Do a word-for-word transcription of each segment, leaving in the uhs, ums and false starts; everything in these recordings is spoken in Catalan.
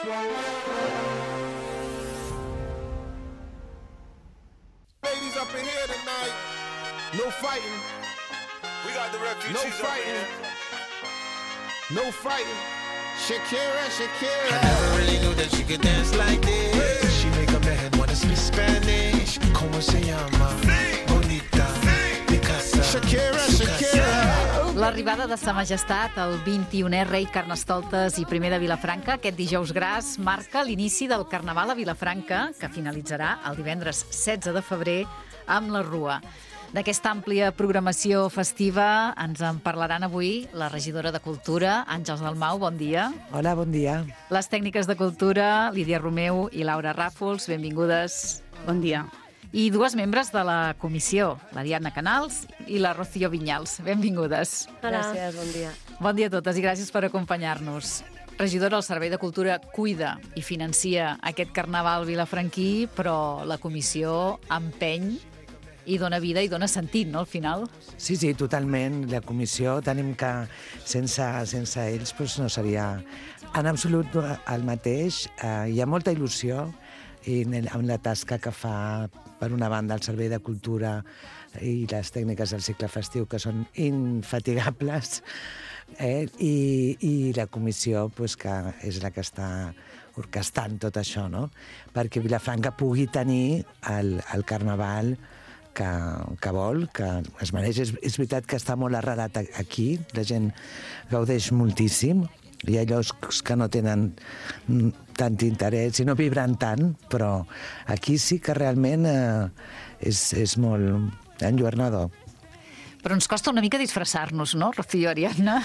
Ladies up in here tonight. No fighting. We got the refugees No up in fighting. here. No fighting. Shakira, Shakira. I never really knew that she could dance like this. She make a man wanna speak Spanish. ¿Cómo se llama? Bonita. Picasa. Shakira, Shakira. L'arribada de Sa Majestat, el vint-i-unè rei Carnestoltes i primer de Vilafranca, aquest dijous gras, marca l'inici del Carnaval a Vilafranca, que finalitzarà el divendres setze de febrer amb la Rua. D'aquesta àmplia programació festiva ens en parlaran avui la regidora de Cultura, Àngels Dalmau, bon dia. Hola, bon dia. Les tècniques de Cultura, Lídia Romeu i Laura Ràfols, benvingudes. Bon dia. I dues membres de la comissió, la Diana Canals i la Rocío Vinyals. Benvingudes. Gràcies, bon dia. Bon dia a totes i gràcies per acompanyar-nos. Regidora, el Servei de Cultura cuida i financia aquest carnaval vilafranquí, però la comissió empeny i dona vida i dona sentit, no, al final? Sí, sí, totalment. La comissió tenim que, sense, sense ells, doncs no seria en absolut el mateix. Eh, hi ha molta il·lusió i amb la tasca que fa, per una banda, el Servei de Cultura i les tècniques del cicle festiu, que són infatigables, eh? I, i la comissió, pues, que és la que està orquestant tot això, no? Perquè Vilafranca pugui tenir el, el carnaval que, que vol, que es mereix. És, és veritat que està molt arrelat aquí, la gent gaudeix moltíssim, hi ha llocs que no tenen tant interès i no vibren tant, però aquí sí que realment eh, és, és molt enlluernador. Però ens costa una mica disfressar-nos, no, Rocío, Ariadna?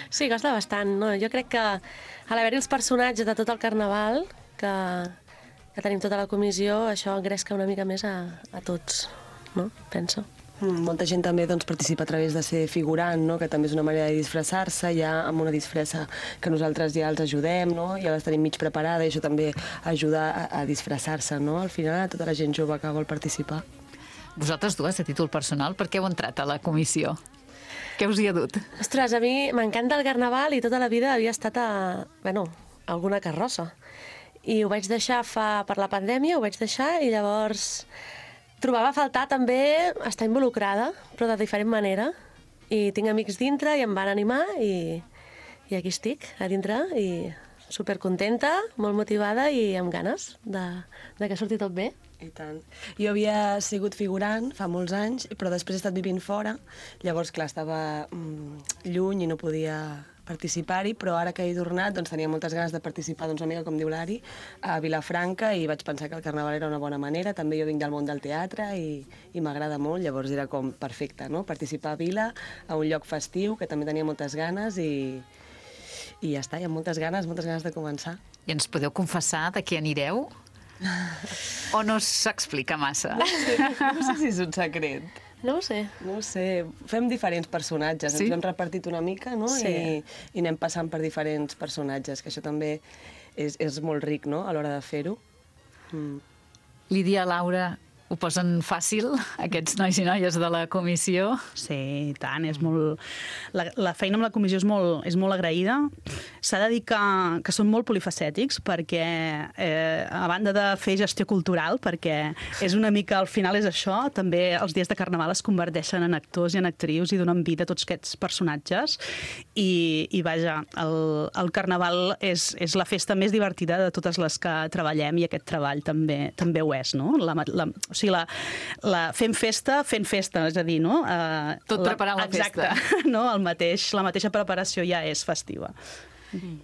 Sí, costa bastant, no? Jo crec que a l'haver-hi els personatges de tot el carnaval, que, que tenim tota la comissió, això engresca una mica més a, a tots, no? Penso. Mm, molta gent també doncs, participa a través de ser figurant, no? Que també és una manera de disfressar-se, ja amb una disfressa que nosaltres ja els ajudem, no? Ja les tenim mig preparada i això també ajuda a, a disfressar-se, no? Al final, a tota la gent jove que vol participar. Vosaltres dues, a títol personal, per què heu entrat a la comissió? Què us hi ha dut? Ostres, a mi m'encanta el carnaval i tota la vida havia estat a, bueno, a alguna carrossa. I ho vaig deixar fa, per la pandèmia, ho vaig deixar i llavors trobava a faltar també estar involucrada, però de diferent manera. I tinc amics dintre i em van animar i, i aquí estic, a dintre, i supercontenta, molt motivada i amb ganes de, de que surti tot bé. I tant. Jo havia sigut figurant fa molts anys, però després he estat vivint fora. Llavors, clar, estava mm, lluny i no podia participar-hi, però ara que he tornat doncs, tenia moltes ganes de participar, doncs, una mica com diu l'Ari, a Vilafranca, i vaig pensar que el carnaval era una bona manera. També jo vinc del món del teatre i, i m'agrada molt, llavors era com perfecte, no? Participar a Vila, a un lloc festiu, que també tenia moltes ganes, i, i ja està, hi ha moltes ganes, moltes ganes de començar. I ens podeu confessar de què anireu? O no s'explica massa? No sé si és un secret. No ho sé. No ho sé. Fem diferents personatges. Sí? Ens hem repartit una mica, no? Sí. I, I anem passant per diferents personatges, que això també és, és molt ric, no?, a l'hora de fer-ho. Mm. Lídia, Laura, ho posen fàcil, aquests nois i noies de la comissió? Sí, i tant, és molt... La, la feina amb la comissió és molt, és molt agraïda. S'ha de dir que, que són molt polifacètics, perquè, eh, a banda de fer gestió cultural, perquè és una mica, al final és això, també els dies de carnaval es converteixen en actors i en actrius i donen vida a tots aquests personatges. I, i vaja, el, el carnaval és, és la festa més divertida de totes les que treballem, i aquest treball també, també ho és, no? La, la, O sigui, la, la, fem festa, fent festa, és a dir, no? Uh, Tot preparant la, la exacte, festa. No? El mateix, la mateixa preparació ja és festiva.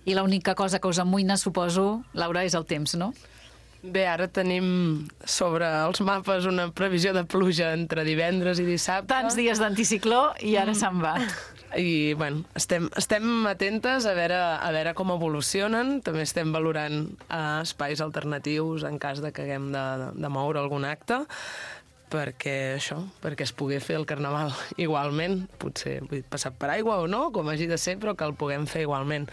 I l'única cosa que us amoïna, suposo, Laura, és el temps, no? Bé, ara tenim sobre els mapes una previsió de pluja entre divendres i dissabte. Tants dies d'anticicló i ara se'n va. I, bueno, estem, estem atentes a veure, a veure com evolucionen. També estem valorant uh, espais alternatius en cas de que haguem de, de moure algun acte, perquè això, perquè es pugui fer el carnaval igualment. Potser vull dir, passat per aigua o no, com hagi de ser, però que el puguem fer igualment.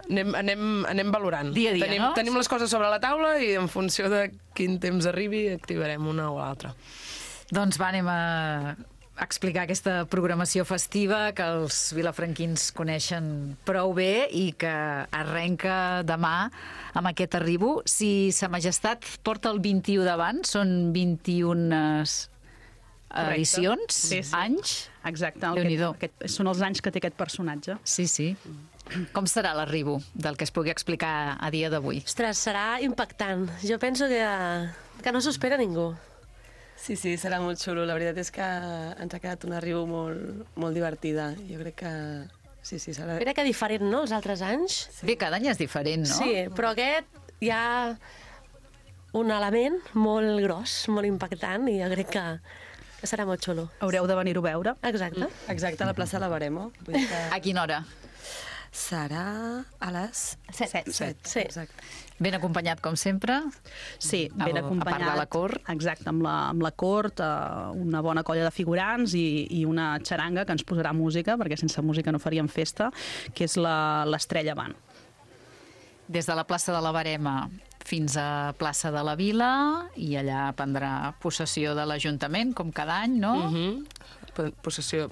Anem, anem, anem valorant. Dia a dia, tenim, no? Tenim les coses sobre la taula i en funció de quin temps arribi activarem una o l'altra. Doncs va, anem a explicar aquesta programació festiva que els vilafranquins coneixen prou bé i que arrenca demà amb aquest arribo. Si Sa Majestat porta el vint-i-u davant, són vint-i-una edicions, sí, sí. anys. Exacte, el Déu-n'hi-do. que, aquest, són els anys que té aquest personatge. Sí, sí. Com serà l'arribo del que es pugui explicar a dia d'avui? Ostres, serà impactant. Jo penso que, que no s'ho espera ningú. Sí, sí, serà molt xulo. La veritat és que ens ha quedat una riu molt, molt divertida. Jo crec que... Sí, sí, serà... Mira que diferent, no?, els altres anys. Sí. Bé, cada any és diferent, no? Sí, però aquest hi ha un element molt gros, molt impactant, i jo crec que, que serà molt xulo. Haureu de venir-ho a veure. Exacte. Exacte, a la plaça de la Baremo. Vull dir que... A quina hora? Serà a les Set. set. Sí. Exacte. Ben acompanyat, com sempre? Sí, ben A- a acompanyat. part de la cort? Exacte, amb la, amb la cort, eh, una bona colla de figurants i, i una xaranga que ens posarà música, perquè sense música no faríem festa, que és la- l'Estrella Band. Des de la plaça de la Barema fins a plaça de la Vila, i allà prendrà possessió de l'Ajuntament, com cada any, no? Uh -huh. Possessió,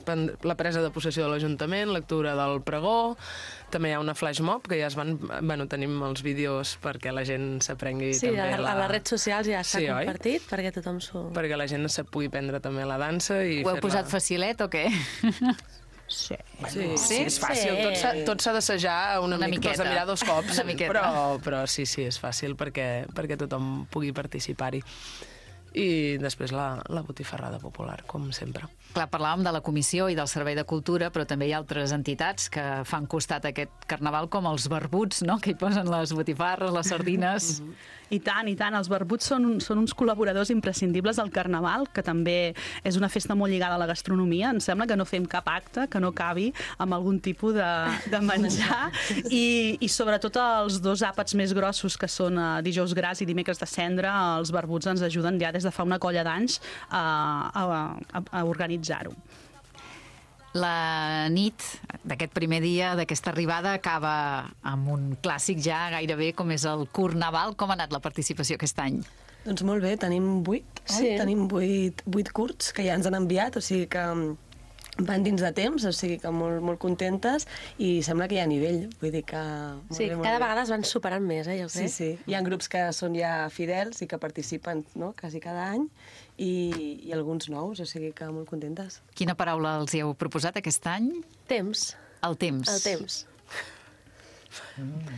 la presa de possessió de l'Ajuntament, lectura del pregó, també hi ha una flash mob que ja es van... Bueno, tenim els vídeos perquè la gent s'aprengui Sí, també a, la... a les redes socials ja s'ha Sí, oi? compartit perquè tothom s'ho... perquè la gent se pugui prendre també la dansa i Ho heu fer-la... posat facilet o què? Sí. Sí, Sí? sí, és fàcil. Sí. Tot s'ha- Tot s'ha d'assajar una, Una mica, miqueta. t'has de mirar dos cops, Una miqueta. però, però sí, sí, és fàcil perquè, perquè tothom pugui participar-hi. I després la, la botifarrada popular, com sempre. Clar, parlàvem de la Comissió i del Servei de Cultura, però també hi ha altres entitats que fan costat a aquest carnaval, com els barbuts, no?, que hi posen les botifarres, les sardines... I tant, i tant. Els barbuts són, són uns col·laboradors imprescindibles del Carnaval, que també és una festa molt lligada a la gastronomia. Em sembla que no fem cap acte que no cabi amb algun tipus de, de menjar. I, I sobretot els dos àpats més grossos, que són uh, dijous gras i dimecres de cendra, els barbuts ens ajuden ja des de fa una colla d'anys a, a, a, a organitzar-ho. La nit d'aquest primer dia, d'aquesta arribada, acaba amb un clàssic ja gairebé com és el Carnaval. Com ha anat la participació aquest any? Doncs molt bé, tenim vuit, Sí. oi? Tenim vuit, vuit curts que ja ens han enviat, o sigui que mm, van dins de temps, o sigui que molt, molt contentes, i sembla que hi ha nivell, vull dir que... Molt Sí, bé, molt cada bé. vegada es van superant més, eh, jo Sí, crec. sí. Hi ha grups que són ja fidels i que participen, no?, quasi cada any, i, i alguns nous, o sigui que molt contentes. Quina paraula els hi heu proposat aquest any? Temps, El temps. el temps.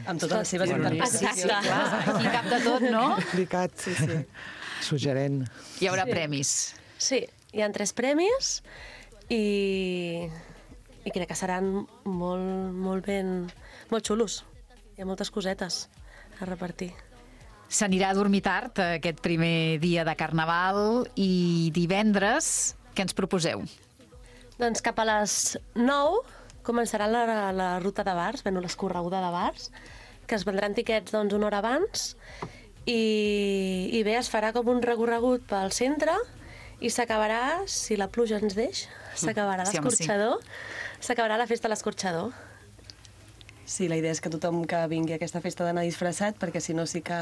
Amb totes les seves interpretacions. Exacte. Clar, aquí cap de tot, no? Complicat. Sí, sí. Suggerent. Hi haurà Sí. premis. Sí, hi ha tres premis i, i crec que seran molt, molt ben... molt xulos. Hi ha moltes cosetes a repartir. S'anirà a dormir tard aquest primer dia de Carnaval i divendres què ens proposeu? Doncs cap a les nou començarà la, la ruta de bars, bueno, l'escorreguda de bars, que es vendran tiquets doncs, una hora abans, i, i bé, es farà com un recorregut pel centre i s'acabarà, si la pluja ens deix, s'acabarà Sí, home, sí. l'escorxador, s'acabarà la festa a l'escorxador. Sí, la idea és que tothom que vingui a aquesta festa d'anar disfressat, perquè si no sí que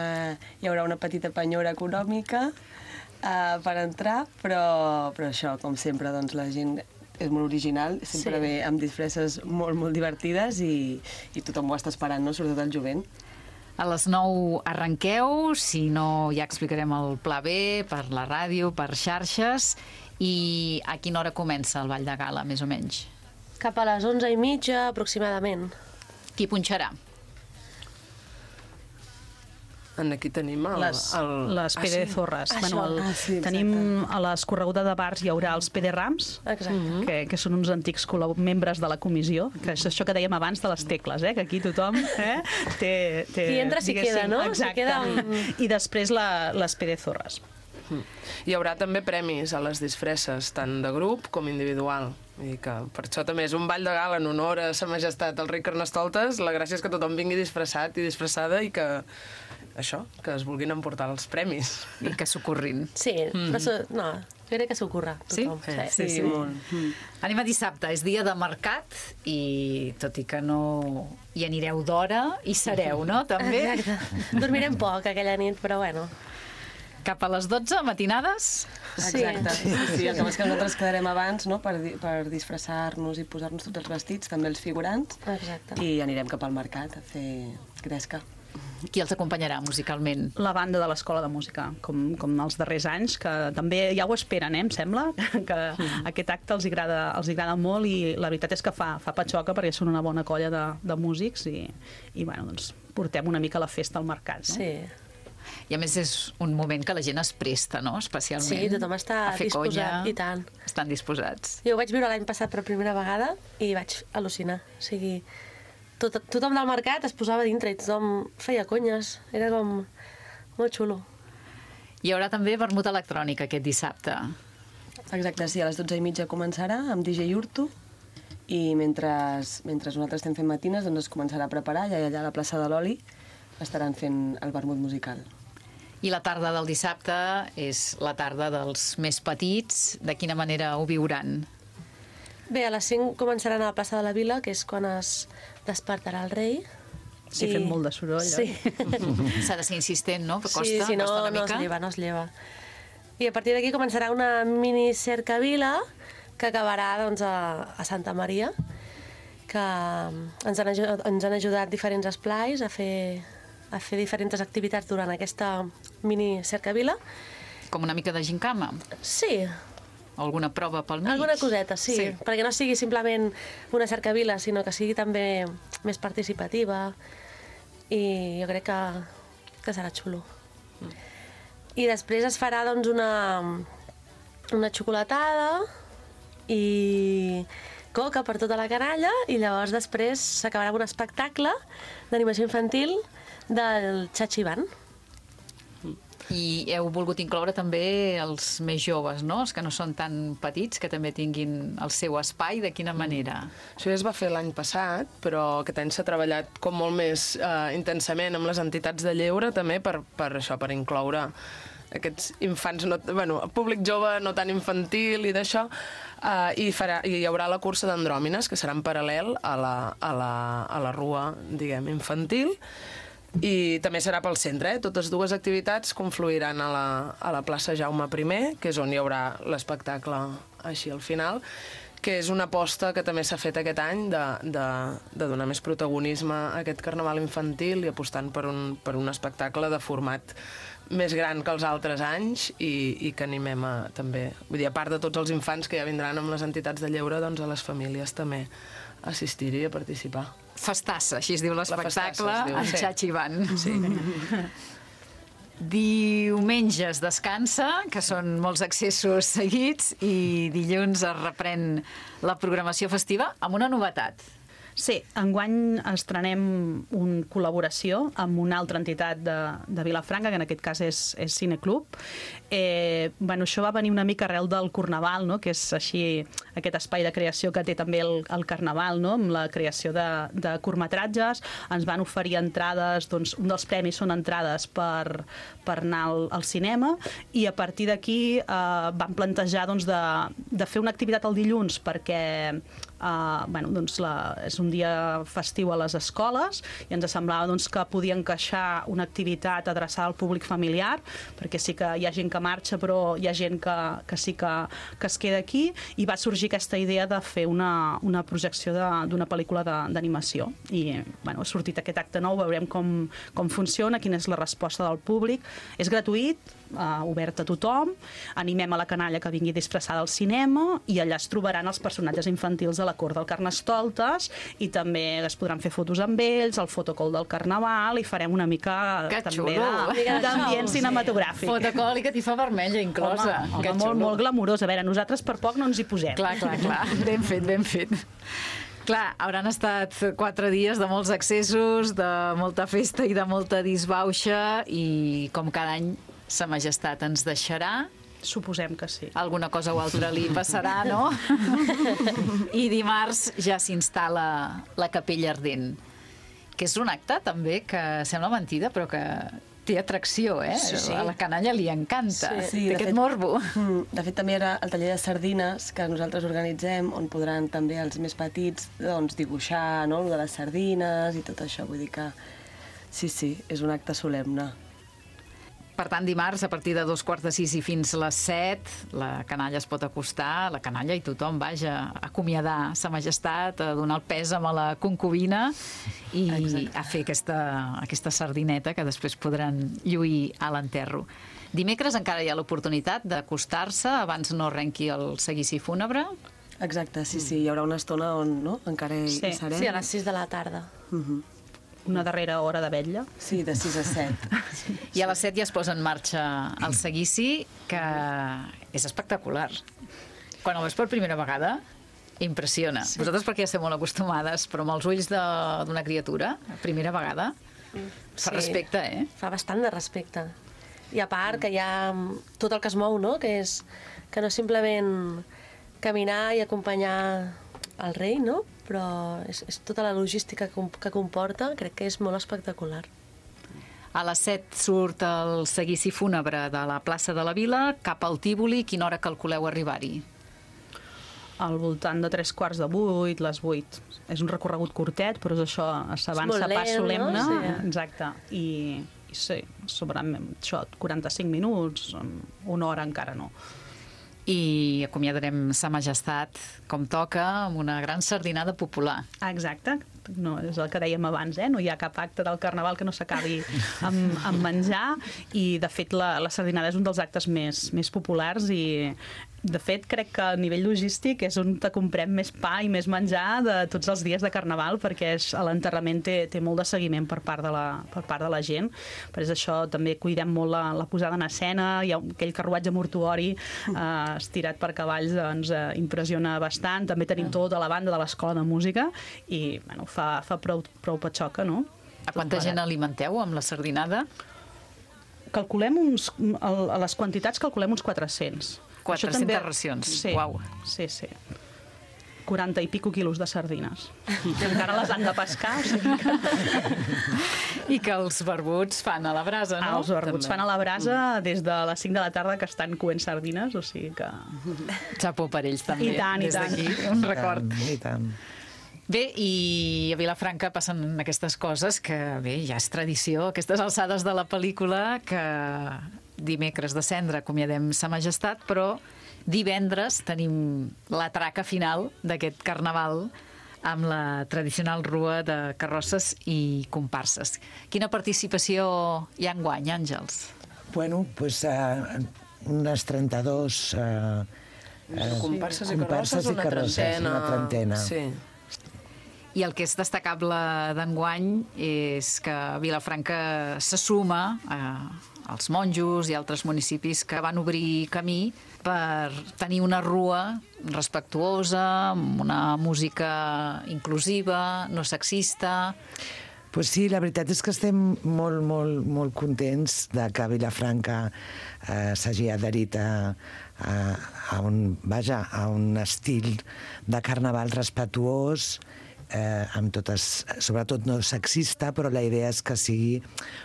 hi haurà una petita penyora econòmica uh, per entrar, però, però això, com sempre, doncs la gent és molt original, sempre Sí. ve amb disfresses molt, molt divertides i, i tothom ho està esperant, no?, sobretot el jovent. A les nou arrenqueu, si no ja explicarem el pla B per la ràdio, per xarxes, i a quina hora comença el Ball de Gala, més o menys? Cap a les onze i mitja, aproximadament. Qui punxarà? En aquí tenim el... Les, el... les P D Ah, sí? Zorres. Això. Bueno, el, Ah, sí, tenim exacte. a l'escorreguda de bars hi haurà els P D Rams, Exacte. que, que són uns antics col·lab- membres de la comissió, que és això que dèiem abans de les tecles, eh? Que aquí tothom eh? té, té... Qui entra s'hi diguéssim, queda, no? S'hi Exacte. queda amb- I després la, les P D Zorres. Hi haurà també premis a les disfresses, tant de grup com individual. I que per això també és un ball de gala en honor a Sa Majestat el rei Carnestoltes. La gràcia és que tothom vingui disfressat i disfressada i que això, que es vulguin emportar els premis. I que s'ocorrin. Sí, mm. però so, no, jo crec que s'ocorre Sí? tothom. Sí, sí, sí, molt. Mm. Anem a dissabte, és dia de mercat i tot i que no hi anireu d'hora, hi sereu, no? També? Exacte. Dormirem poc aquella nit, però bueno. Cap a les dotze, matinades? Exacte. Sí, sí, sí. El que passa és que nosaltres quedarem abans, no?, per, di- per disfressar-nos i posar-nos tots els vestits, també els figurants, Exacte. i anirem cap al mercat a fer gresca. Qui els acompanyarà musicalment? La banda de l'Escola de Música, com, com els darrers anys, que també ja ho esperen, eh, em sembla, que aquest acte els agrada, els agrada molt i la veritat és que fa, fa patxoca perquè són una bona colla de, de músics i, i bueno, doncs, portem una mica la festa al mercat. No? Sí. I a més és un moment que la gent es presta, no?, especialment. Sí, tothom està a fer disposat, conya. i tant. Estan disposats. Jo ho vaig viure l'any passat per primera vegada i vaig al·lucinar. O sigui, tot, tothom del mercat es posava dintre i tothom feia conyes. Era com molt xulo. Hi haurà també vermut electrònic aquest dissabte. Exacte, sí, a les dotze i mitja començarà amb D J Urtu i mentre, mentre nosaltres estem fent matines doncs es començarà a preparar i allà a la plaça de l'Oli estaran fent el vermut musical. I la tarda del dissabte és la tarda dels més petits. De quina manera ho viuran? Bé, a les cinc començaran a la plaça de la Vila, que és quan es despertarà el rei. Sí, fent molt de soroll. Sí. S'ha de ser insistent, no? Costa, sí, si no, costa una no es mica. lleva, no es lleva. I a partir d'aquí començarà una mini cercavila que acabarà doncs, a, a Santa Maria, que ens han, ajudat, ens han ajudat diferents esplais a fer, a fer diferents activitats durant aquesta mini cercavila. Com una mica de gincama? Sí, Alguna prova pel mig? alguna coseta, sí, sí, perquè no sigui simplement una cercavila, sinó que sigui també més participativa i jo crec que, que serà xulo. Mm. I després es farà doncs, una, una xocolatada i coca per tota la canalla i llavors després s'acabarà amb un espectacle d'animació infantil del Chachiban. I heu volgut incloure també els més joves, no? Els que no són tan petits, que també tinguin el seu espai. De quina manera? Això ja es va fer l'any passat, però aquest any s'ha treballat com molt més eh, intensament amb les entitats de lleure, també per, per això, per incloure aquests infants, no, bueno, públic jove no tan infantil i d'això, eh, i, farà, i hi haurà la cursa d'andròmines, que serà en paral·lel a la, a la, a la rua, diguem, infantil, i també serà pel centre, eh? Totes dues activitats confluiran a la, a la plaça Jaume primer, que és on hi haurà l'espectacle així al final, que és una aposta que també s'ha fet aquest any de, de, de donar més protagonisme a aquest carnaval infantil i apostant per un, per un espectacle de format més gran que els altres anys i, i que animem a, també, vull dir, a part de tots els infants que ja vindran amb les entitats de lleure, doncs a les famílies també a assistir-hi i a participar. Festassa, així es diu l'espectacle, en sí. Chachiban. Sí. Diumenge es descansa, que són molts accessos seguits, i dilluns es reprèn la programació festiva amb una novetat. Sí, enguany estrenem una col·laboració amb una altra entitat de, de Vilafranca, que en aquest cas és, és Cineclub. Eh, bueno, això va venir una mica arrel del Carnaval, no? Que és així aquest espai de creació que té també el, el Carnaval, no? Amb la creació de, de curtmetratges. Ens van oferir entrades, doncs un dels premis són entrades per, per anar al, al cinema, i a partir d'aquí eh, vam plantejar doncs, de, de fer una activitat el dilluns perquè Uh, bueno, doncs la, és un dia festiu a les escoles i ens semblava doncs, que podia encaixar una activitat adreçada al públic familiar, perquè sí que hi ha gent que marxa però hi ha gent que, que sí que, que es queda aquí, i va sorgir aquesta idea de fer una, una projecció d'una pel·lícula d'animació i bueno, ha sortit aquest acte nou, veurem com, com funciona, quina és la resposta del públic. És gratuït, uh, obert a tothom, animem a la canalla que vingui disfressada al cinema i allà es trobaran els personatges infantils de la cort del Carnestoltes i també es podran fer fotos amb ells, el fotocall del Carnaval, i farem una mica que també xulo. d'ambient cinematogràfic. Fotocall i catifa vermella inclosa. Home, que home molt, molt glamurós. A veure, nosaltres per poc no ens hi posem. Clar, clar, clar. Ben fet, ben fet. Clar, hauran estat quatre dies de molts accessos, de molta festa i de molta disbauxa, i com cada any Sa Majestat ens deixarà. Suposem que sí. Alguna cosa o altra li passarà, no? I dimarts ja s'instal·la la Capella Ardent, que és un acte també que sembla mentida, però que té atracció, eh? Sí, sí. A la canalla li encanta, Sí, sí, té de aquest fet- morbo. De fet, també era el taller de sardines que nosaltres organitzem, on podran també els més petits doncs, dibuixar, no?, lo de les sardines i tot això. Vull dir que sí, sí, és un acte solemne. Per tant, dimarts, a partir de dos quarts de sis i fins a les set, la canalla es pot acostar, la canalla i tothom, vaja, a acomiadar sa majestat, a donar el pèsam a la concubina i Exacte. a fer aquesta, aquesta sardineta que després podran lluir a l'enterro. Dimecres encara hi ha l'oportunitat d'acostar-se abans no arrenqui el seguici fúnebre. Exacte, sí, sí, hi haurà una estona on no? encara hi, Sí. hi serem. Sí, a les sis de la tarda. Uh -huh. Una darrera hora de vetlla. Sí, de sis a set. I a les set ja es posa en marxa el seguici, que és espectacular. Quan el veus per primera vegada, impressiona. Sí. Vosaltres perquè ja esteu molt acostumades, però amb els ulls d'una criatura, primera vegada, fa Sí, respecte, eh? Fa bastant de respecte. I a part que hi ha tot el que es mou, no? Que és que no simplement caminar i acompanyar el rei, no? Però és, és tota la logística que, que comporta, crec que és molt espectacular. A les set surt el seguici fúnebre de la plaça de la Vila cap al Tívoli. Quina hora calculeu arribar-hi? Al voltant de tres quarts de vuit, les vuit. És un recorregut curtet, però és això, s'avança molt pas lent, solemne. no? Sí. Exacte. I, i sí, segurament això, quaranta-cinc minuts, una hora encara no. I acomiadarem sa majestat com toca amb una gran sardinada popular. Exacte, no, és el que dèiem abans, eh? No hi ha cap acte del Carnaval que no s'acabi amb, amb menjar i, de fet, la, la sardinada és un dels actes més, més populars i, de fet, crec que a nivell logístic és on te comprem més pa i més menjar de tots els dies de Carnaval perquè és, l'enterrament té, té molt de seguiment per part de la, per part de la gent. Per això també cuidem molt la, la posada en escena, hi ha aquell carruatge mortuori eh, estirat per cavalls, doncs eh, impressiona bastant. També tenim tota la banda de l'Escola de Música i bueno, fa, fa prou, prou patxoca, no? A quanta gent alimenteu amb la sardinada? Calculem uns, a les quantitats calculem uns quatre-cents. quatre-centes també... racions, sí, uau. Sí, sí. quaranta i pico quilos de sardines. I encara les han de pescar, o sigui que... I que els barbuts fan a la brasa, no? Ah, els barbuts també fan a la brasa des de les cinc de la tarda que estan coent sardines, o sigui que... Xapó per ells també. I tant, i des tant. d'aquí, un record. I tant. Bé, i a Vilafranca passen aquestes coses que, bé, ja és tradició, aquestes alçades de la pel·lícula que dimecres de cendra acomiadem sa majestat, però divendres tenim la traca final d'aquest carnaval amb la tradicional rua de carrosses i comparses. Quina participació hi ha enguany, Àngels? Bueno, pues uh, unes trenta-dos... Uh, uh, comparses i carrosses, i una carrosses, trentena. Una trentena. Sí. I el que és destacable d'enguany és que Vilafranca se suma a, als monjos i altres municipis que van obrir camí per tenir una rua respectuosa, amb una música inclusiva, no sexista. Pues sí, la veritat és que estem molt, molt, molt contents de que Vilafranca eh, s'hagi adherit a, a, a, un, vaja, a un estil de carnaval respetuós, eh, amb totes, sobretot no sexista, però la idea és que sigui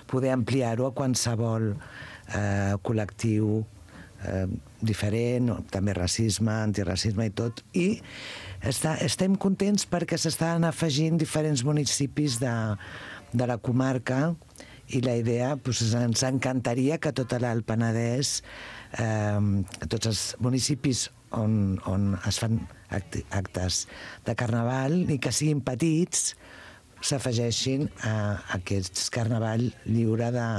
poder ampliar-ho a qualsevol eh, col·lectiu eh, diferent, també racisme, antiracisme i tot, i està, estem contents perquè s'estan afegint diferents municipis de, de la comarca i la idea, doncs, ens encantaria que tot l'Alt Penedès, eh, tots els municipis on, on es fan actes de carnaval i que siguin petits s'afegeixin a aquest carnaval lliure de,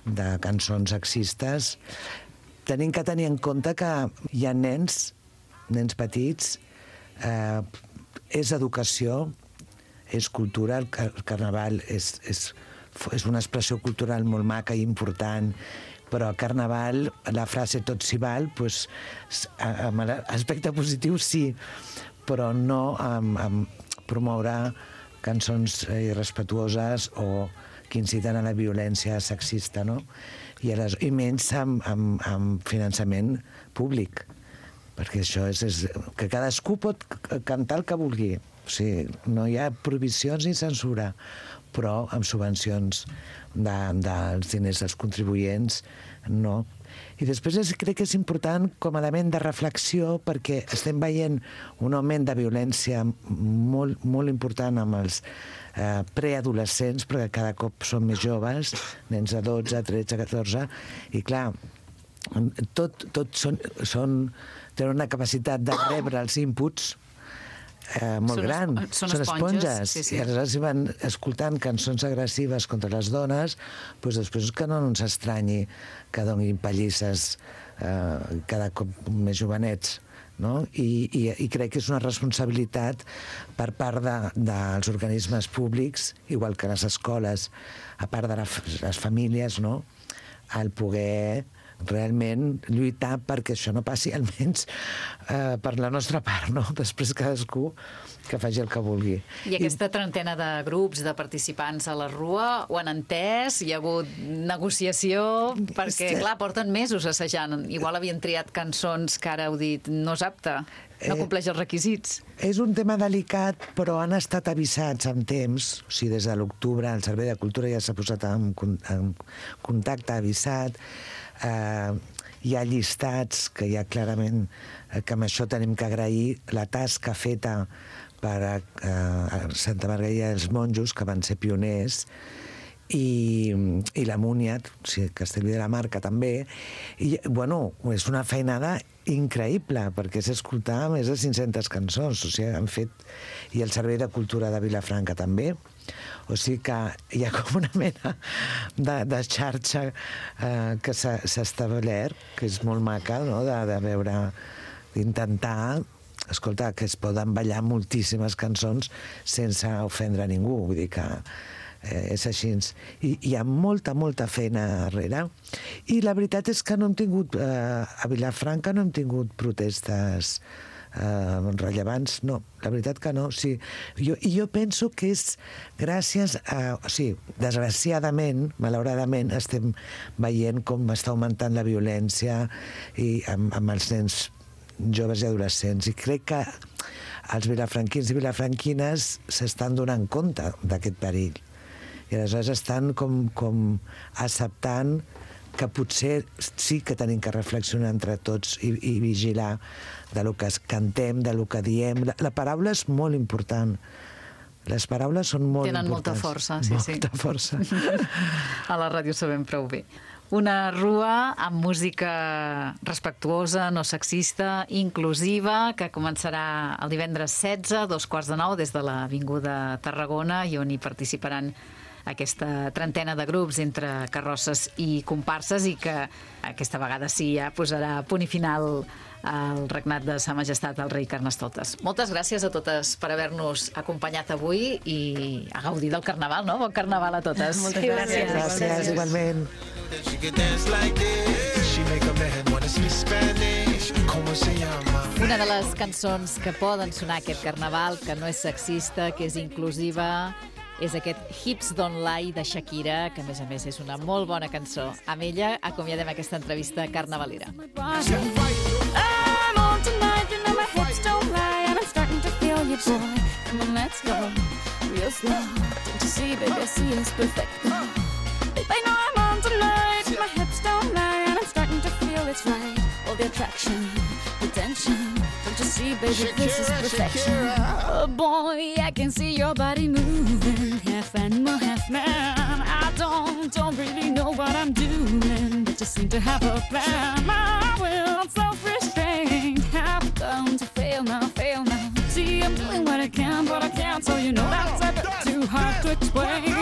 de cançons sexistes. Tenim que tenir en compte que hi ha nens, nens petits, eh, és educació, és cultura, el carnaval és, és, és una expressió cultural molt maca i important, però al carnaval la frase tot s'hi val, doncs, amb l'aspecte positiu sí, però no amb, amb promoure cançons irrespetuoses o que inciten a la violència sexista, no? I, a les, i menys amb, amb, amb finançament públic, perquè això és, és que cadascú pot cantar el que vulgui. O sigui, no hi ha prohibicions ni censura, però amb subvencions de, dels diners dels contribuents, no. I després és, crec que és important com a element de reflexió perquè estem veient un augment de violència molt, molt important amb els eh, preadolescents, però que cada cop són més joves, nens de dotze, tretze, catorze, i clar, tot, tot són, són, tenen una capacitat de rebre els inputs Eh, molt són gran. Són, són esponges. esponges. Sí, sí. I aleshores si van escoltant cançons agressives contra les dones, doncs després que no ens estranyi que donin pallisses eh, cada cop més jovenets. No? I, i, I crec que és una responsabilitat per part de, dels organismes públics, igual que les escoles, a part de la, les famílies, no? El poder realment lluitar perquè això no passi, almenys eh, per la nostra part, no? Després cadascú que faci el que vulgui. I aquesta trentena de grups, de participants a la Rua, ho han entès? Hi ha hagut negociació? Perquè, clar, porten mesos assajant. Igual havien triat cançons que ara heu dit no és apte, no compleix els requisits. És un tema delicat, però han estat avisats amb temps. O sigui, des de l'octubre el Servei de Cultura ja s'ha posat en, en contacte, avisat. Uh, hi ha llistats que hi ha clarament uh, que amb això tenim que agrair la tasca feta per uh, Santa Margarida dels Monjos, que van ser pioners, i, i la Múnia, o sigui, Castellví de la Marca també, i bueno, és una feinada increïble, perquè és escoltar més de cinc-centes cançons, o sigui, han fet, i el Servei de Cultura de Vilafranca també, o sigui que hi ha com una mena de, de xarxa eh, que s'ha establert, que és molt maca, no?, de, de veure, d'intentar, escolta, que es poden ballar moltíssimes cançons sense ofendre a ningú, vull dir que eh, és així. I hi ha molta, molta feina darrere. I la veritat és que no hem tingut, eh, a Vilafranca no hem tingut protestes Uh, rellevants, no, la veritat que no. Sí. Jo, I jo penso que és gràcies a... O sigui, desgraciadament, malauradament, estem veient com està augmentant la violència i amb, amb els nens joves i adolescents. I crec que els vilafranquins i vilafranquines s'estan donant compte d'aquest perill. I aleshores estan com, com acceptant que potser sí que tenim que reflexionar entre tots i, i vigilar de lo que cantem, de lo que diem. La, la paraula és molt important. Les paraules són molt Tenen importants. molta força, sí, sí. Molta força. A la ràdio sabem prou bé. Una rua amb música respectuosa, no sexista, inclusiva, que començarà el divendres setze, dos quarts de nou, des de l'Avinguda Tarragona, i on hi participaran aquesta trentena de grups entre carrosses i comparses, i que aquesta vegada sí ja posarà punt i final al regnat de Sa Majestat el rei Carnestoltes. Moltes gràcies a totes per haver-nos acompanyat avui i a gaudir del Carnaval, no? Bon Carnaval a totes. Moltes gràcies. Gràcies, igualment. Una de les cançons que poden sonar aquest Carnaval, que no és sexista, que és inclusiva, és aquest Hips Don't Lie de Shakira, que a més a més és una molt bona cançó. Amb ella acomiadem aquesta entrevista carnavalera. I'm on tonight, you know my hips don't lie, and I'm starting to feel you, boy. Come on, let's go, real slow. Don't you see, baby, I see it's perfect. Babe, I know I'm on tonight, my hips don't lie, and I'm starting to feel it's right. All the attraction, the tension. Don't you see, baby, Shakira, this is perfection. Shakira. Oh boy, I can see your body moving, half animal, half man. I don't, don't really know what I'm doing, but just seem to have a plan. My will, self-restraint, have come to fail now, fail now. See, I'm doing what I can, but I can't, so you know that's a bit too hard to explain.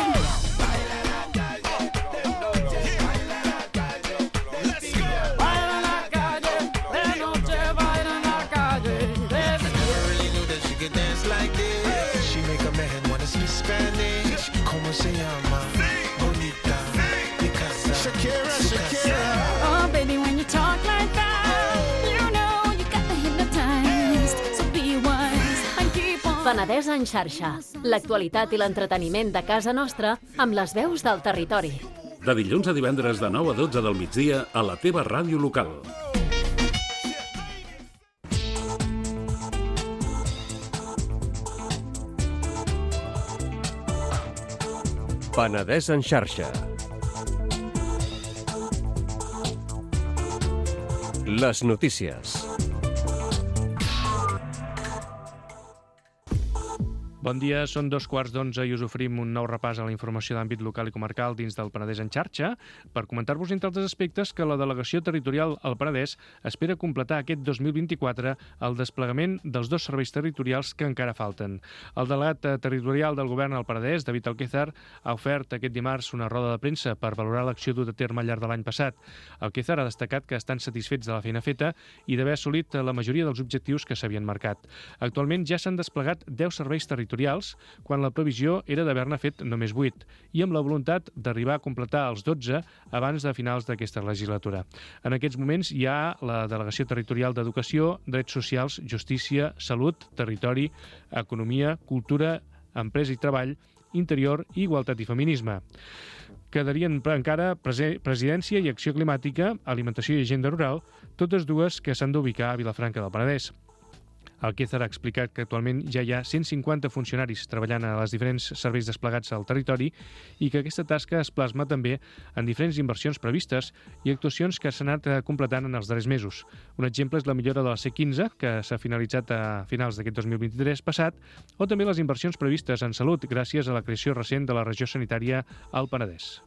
Se llama Bonita Picasa. Shakira, Shakira. Oh, baby, when you talk like that, you know you got me hypnotized. So be wise and keep on. Penedès en xarxa. L'actualitat i l'entreteniment de casa nostra amb les veus del territori. De dilluns a divendres de nou a dotze del migdia a la teva ràdio local. Penedès en xarxa. Les notícies. Bon dia, són dos quarts d'onze i us oferim un nou repàs a la informació d'àmbit local i comarcal dins del Penedès en xarxa per comentar-vos, entre altres aspectes, que la delegació territorial al Penedès espera completar aquest dos mil vint-i-quatre el desplegament dels dos serveis territorials que encara falten. El delegat territorial del govern al Penedès, David Alquézar, ha ofert aquest dimarts una roda de premsa per valorar l'acció duta a terme al llarg de l'any passat. Alquézar ha destacat que estan satisfets de la feina feta i d'haver assolit la majoria dels objectius que s'havien marcat. Actualment ja s'han desplegat deu serveis territorials quan la previsió era d'haver-ne fet només vuit, i amb la voluntat d'arribar a completar els dotze abans de finals d'aquesta legislatura. En aquests moments hi ha la Delegació Territorial d'Educació, Drets Socials, Justícia, Salut, Territori, Economia, Cultura, Empresa i Treball, Interior i Igualtat i Feminisme. Quedarien encara Presidència i Acció Climàtica, Alimentació i Agenda Rural, totes dues que s'han d'ubicar a Vilafranca del Penedès. Alquézar ha explicat que actualment ja hi ha cent cinquanta funcionaris treballant a les diferents serveis desplegats al territori i que aquesta tasca es plasma també en diferents inversions previstes i actuacions que s'han anat completant en els darrers mesos. Un exemple és la millora de la C quinze, que s'ha finalitzat a finals d'aquest dos mil vint-i-tres passat, o també les inversions previstes en salut gràcies a la creació recent de la regió sanitària al Penedès.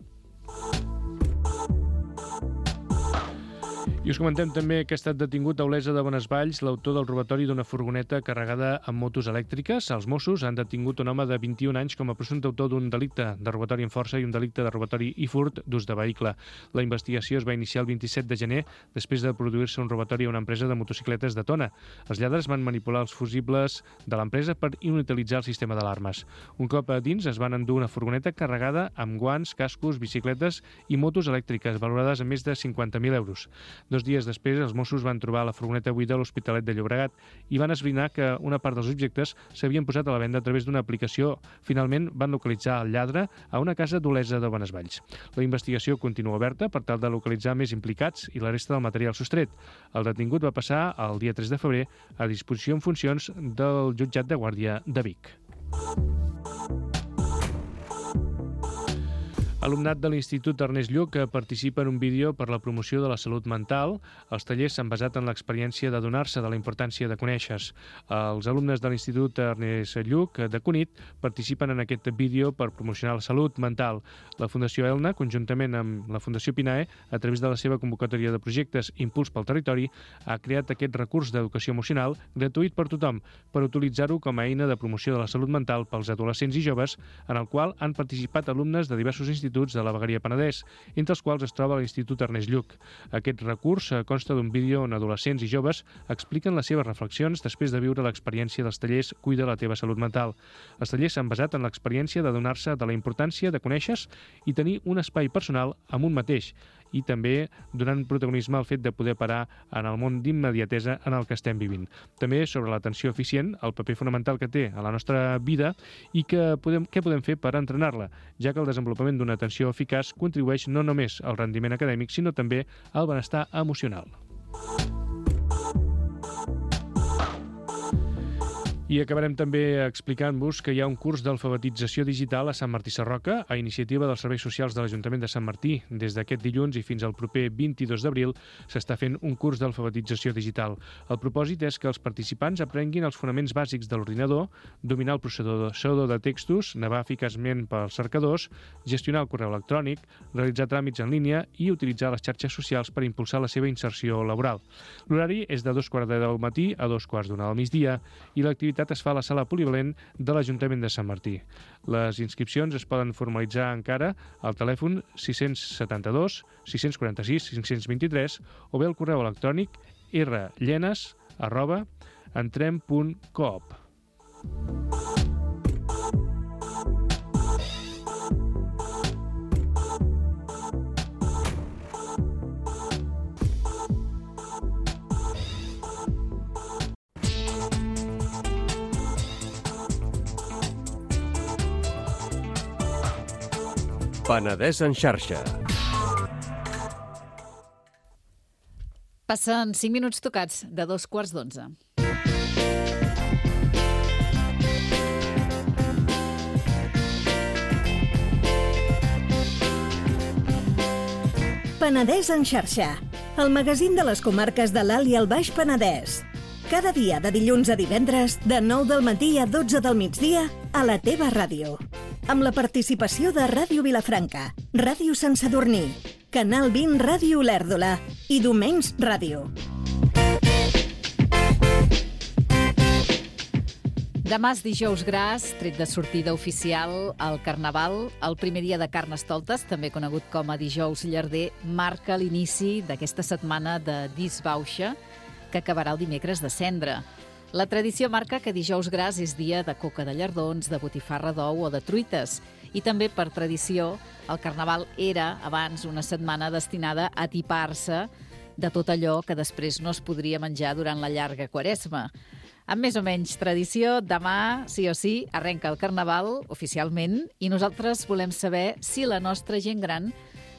I us comentem també que ha estat detingut a Olesa de Bonesvalls l'autor del robatori d'una furgoneta carregada amb motos elèctriques. Els Mossos han detingut un home de vint-i-un anys com a presumpte autor d'un delicte de robatori amb força i un delicte de robatori i furt d'ús de vehicle. La investigació es va iniciar el vint-i-set de gener després de produir-se un robatori a una empresa de motocicletes de Tona. Els lladres van manipular els fusibles de l'empresa per inutilitzar el sistema d'alarmes. Un cop a dins es van endur una furgoneta carregada amb guants, cascos, bicicletes i motos elèctriques valorades en més de cinquanta mil euros. Dos dies després, els Mossos van trobar la furgoneta buida a l'Hospitalet de Llobregat i van esbrinar que una part dels objectes s'havien posat a la venda a través d'una aplicació. Finalment, van localitzar el lladre a una casa d'Olesa de Bonesvalls. La investigació continua oberta per tal de localitzar més implicats i la resta del material sostret. El detingut va passar el dia tres de febrer a disposició en funcions del jutjat de guàrdia de Vic. Alumnat de l'Institut Ernest Lluch que participa en un vídeo per la promoció de la salut mental. Els tallers s'han basat en l'experiència de donar-se de la importància de conèixer. Els alumnes de l'Institut Ernest Lluch de Cunit participen en aquest vídeo per promocionar la salut mental. La Fundació Elna, conjuntament amb la Fundació Pinae, a través de la seva convocatòria de projectes Impuls pel Territori, ha creat aquest recurs d'educació emocional gratuït per tothom per utilitzar-ho com a eina de promoció de la salut mental pels adolescents i joves, en el qual han participat alumnes de diversos instituts de la Vegueria Penedès, entre els quals es troba l'Institut Ernest Lluch. Aquest recurs consta d'un vídeo on adolescents i joves expliquen les seves reflexions després de viure l'experiència dels tallers Cuida la teva salut mental. Els tallers s'han basat en l'experiència de donar-se de la importància de conèixer i tenir un espai personal amb un mateix, i també donant protagonisme al fet de poder parar en el món d'immediatesa en el que estem vivint. També sobre l'atenció eficient, el paper fonamental que té a la nostra vida i que podem, què podem fer per entrenar-la, ja que el desenvolupament d'una atenció eficaç contribueix no només al rendiment acadèmic, sinó també al benestar emocional. I acabarem també explicant-vos que hi ha un curs d'alfabetització digital a Sant Martí Sarroca a iniciativa dels Serveis Socials de l'Ajuntament de Sant Martí. Des d'aquest dilluns i fins al proper vint-i-dos d'abril s'està fent un curs d'alfabetització digital. El propòsit és que els participants aprenguin els fonaments bàsics de l'ordinador, dominar el processador de textos, navegar eficaçment pels cercadors, gestionar el correu electrònic, realitzar tràmits en línia i utilitzar les xarxes socials per impulsar la seva inserció laboral. L'horari és de dos quarts de deu del matí a dos quarts d'una del migdia i l'activitat es fa a la sala polivalent de l'Ajuntament de Sant Martí. Les inscripcions es poden formalitzar encara al telèfon sis setanta-dos, sis quaranta-sis, cinc vint-i-tres o bé al correu electrònic rllenes arroba entrem punt coop. Penedès en xarxa. Passen cinc minuts tocats de dos quarts d'onze. Penedès en xarxa, el magazín de les comarques de l'Alt i el Baix Penedès. Cada dia de dilluns a divendres, de nou del matí a dotze del migdia, a la teva ràdio. Amb la participació de Ràdio Vilafranca, Ràdio Sant Sadurní, Canal vint Ràdio Olèrdola i Domenys Ràdio. Demà és dijous gras, tret de sortida oficial al Carnaval. El primer dia de Carnestoltes, també conegut com a dijous llarder, marca l'inici d'aquesta setmana de disbauxa que acabarà el dimecres de Cendra. La tradició marca que dijous gras és dia de coca de llardons, de botifarra d'ou o de truites. I també, per tradició, el Carnaval era, abans, una setmana destinada a atipar-se de tot allò que després no es podria menjar durant la llarga Quaresma. Amb més o menys tradició, demà, sí o sí, arrenca el Carnaval, oficialment, i nosaltres volem saber si la nostra gent gran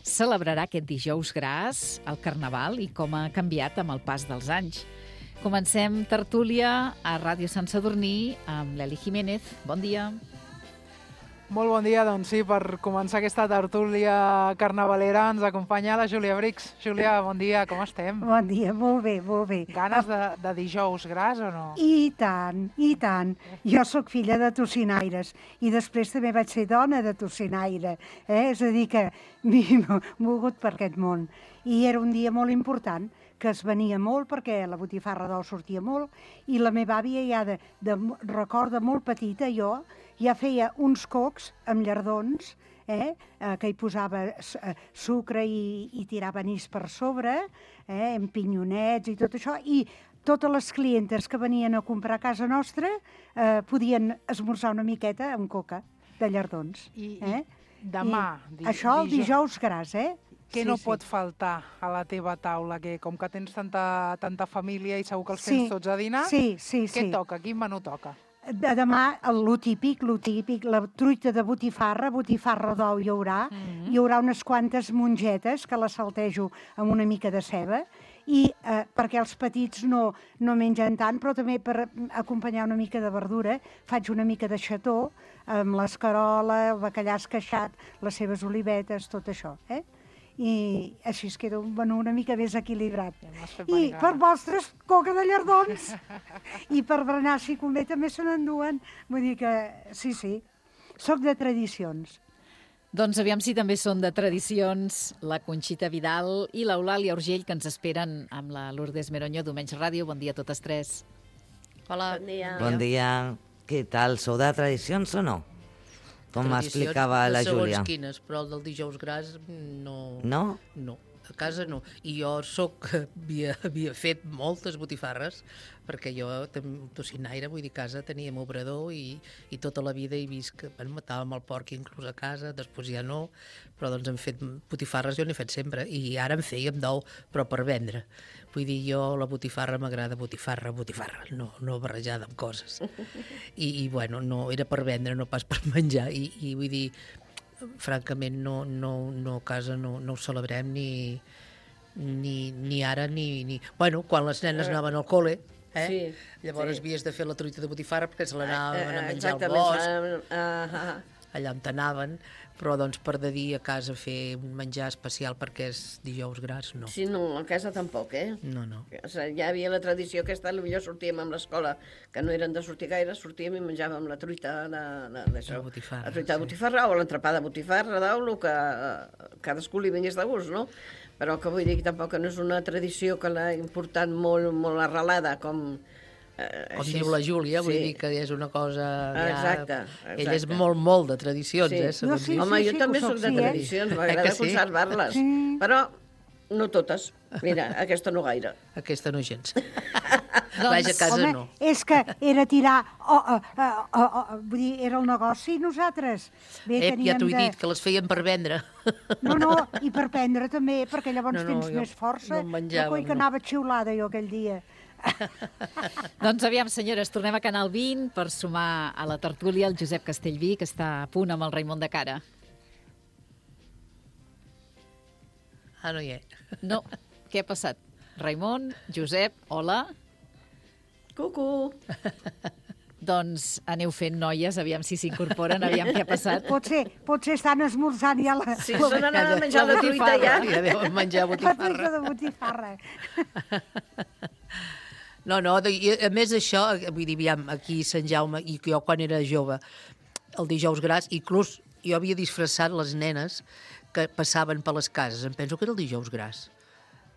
celebrarà aquest dijous gras, el Carnaval, i com ha canviat amb el pas dels anys. Comencem tertúlia a Ràdio Sant Sadurní amb l'Eli Jiménez. Bon dia. Molt bon dia, doncs sí, per començar aquesta tertúlia carnavalera ens acompanya la Júlia Brix. Júlia, bon dia, com estem? Bon dia, molt bé, molt bé. Ganes de, de dijous gras o no? I tant, i tant. Jo sóc filla de tocinaires i després també vaig ser dona de tocinaire, eh? És a dir que m'he mogut per aquest món. I era un dia molt important, que es venia molt perquè la botifarra d'ou sortia molt i la meva àvia ja de, de record de molt petita, jo, ja feia uns cocs amb llardons, eh, eh, que hi posava eh, sucre i, i tirava anís per sobre, eh, amb pinyonets i tot això, i totes les clientes que venien a comprar a casa nostra eh, podien esmorzar una miqueta amb coca de llardons. I, eh? i demà... I di, això el dijous gras, eh? Què sí, no sí. pot faltar a la teva taula? Que com que tens tanta, tanta família i segur que els tens sí, tots a dinar, sí, sí, què sí. toca? Quin menú toca? De demà, lo típic, lo típic, la truita de botifarra, botifarra d'ou hi haurà, mm-hmm. hi haurà unes quantes mongetes que les saltejo amb una mica de ceba, i eh, perquè els petits no, no mengen tant, però també per acompanyar una mica de verdura faig una mica de xató amb l'escarola, el bacallà esqueixat, les seves olivetes, tot això, eh? I així es queda un menú una mica més equilibrat. I per vostres, coca de llardons. I per berenar, si convé, també se n'enduen. Vull dir que, sí, sí, soc de tradicions. Doncs aviam si també són de tradicions la Conxita Vidal i l'Eulàlia Urgell, que ens esperen amb la Lourdes Meronyo, Domenys Ràdio. Bon dia a totes tres. Hola. Bon dia. Bon dia. Què tal? Sou de tradicions o no? Com m'explicava la Júlia. Segons quines, però el del dijous gras no... No? No, a casa no. I jo soc, havia, havia fet moltes botifarres, perquè jo, tocinaire, vull dir, a casa teníem obrador i, i tota la vida he vist que bueno, matàvem el porc inclús a casa, després ja no, però doncs hem fet botifarres, jo n'he fet sempre, i ara en fèiem d'ou, però per vendre. Vull dir, jo la botifarra m'agrada botifarra, botifarra, no, no barrejada amb coses. I, i bueno, no, era per vendre, no pas per menjar, i, i vull dir, francament, no, no, no a casa no, no ho celebrem ni, ni, ni ara ni, ni... Bueno, quan les nenes anaven al col·le, eh? Sí, llavors sí. havies de fer la truita de botifarra perquè se l'anaven a menjar al Exactament. bosc, Uh, uh, allà on t'anaven, però doncs per de dir a casa fer un menjar especial perquè és dijous gras, no. Sí, no, a casa tampoc, eh? No, no. O sigui, ja havia la tradició aquesta, potser sortíem amb l'escola, que no eren de sortir gaire, sortíem i menjàvem la truita de, de, d'això. La botifarra, La truita de sí. botifarra o l'entrepà de botifarra d'ou, el que eh, cadascú li vingués de gust, no? Però que vull dir que tampoc no és una tradició que l'ha importat molt, molt arrelada, com... Eh, com diu la Júlia, vull sí. dir que és una cosa... Ja... Exacte, exacte. Ell és molt, molt de tradicions, sí. eh? No, sí, sí, Home, jo sí, també soc de tradicions, eh? M'agrada sí? conservar-les, sí. però no totes. Mira, aquesta no gaire. Aquesta no gens. Doncs, Vaja, a casa home, no. És que era tirar... Oh, oh, oh, oh, oh, vull dir, era el negoci nosaltres. Bé, eh, ja t'ho he de... dit, que les feien per vendre. No, no, i per prendre també, perquè llavors no, no, tens més força. No menjàvem, no, que anava xiulada jo aquell dia. Doncs aviam, senyores, tornem a Canal vint per sumar a la tertúlia el Josep Castellví, que està a punt amb el Raimon de cara. Ah, no hi és. No, què ha passat? Raimon, Josep, hola. Cucu. Doncs aneu fent, noies, aviam si s'incorporen, aviam què ha passat. Potser, potser estan esmorzant ja la... Sí, se n'han a menjar la truita ja. Ja deuen menjar La botifarra. truita de botifarra. No, no, i a més això, vull dir, aviam, aquí a Sant Jaume, i jo quan era jove, el dijous gras, inclús jo havia disfressat les nenes que passaven per les cases. Em penso que era el dijous gras.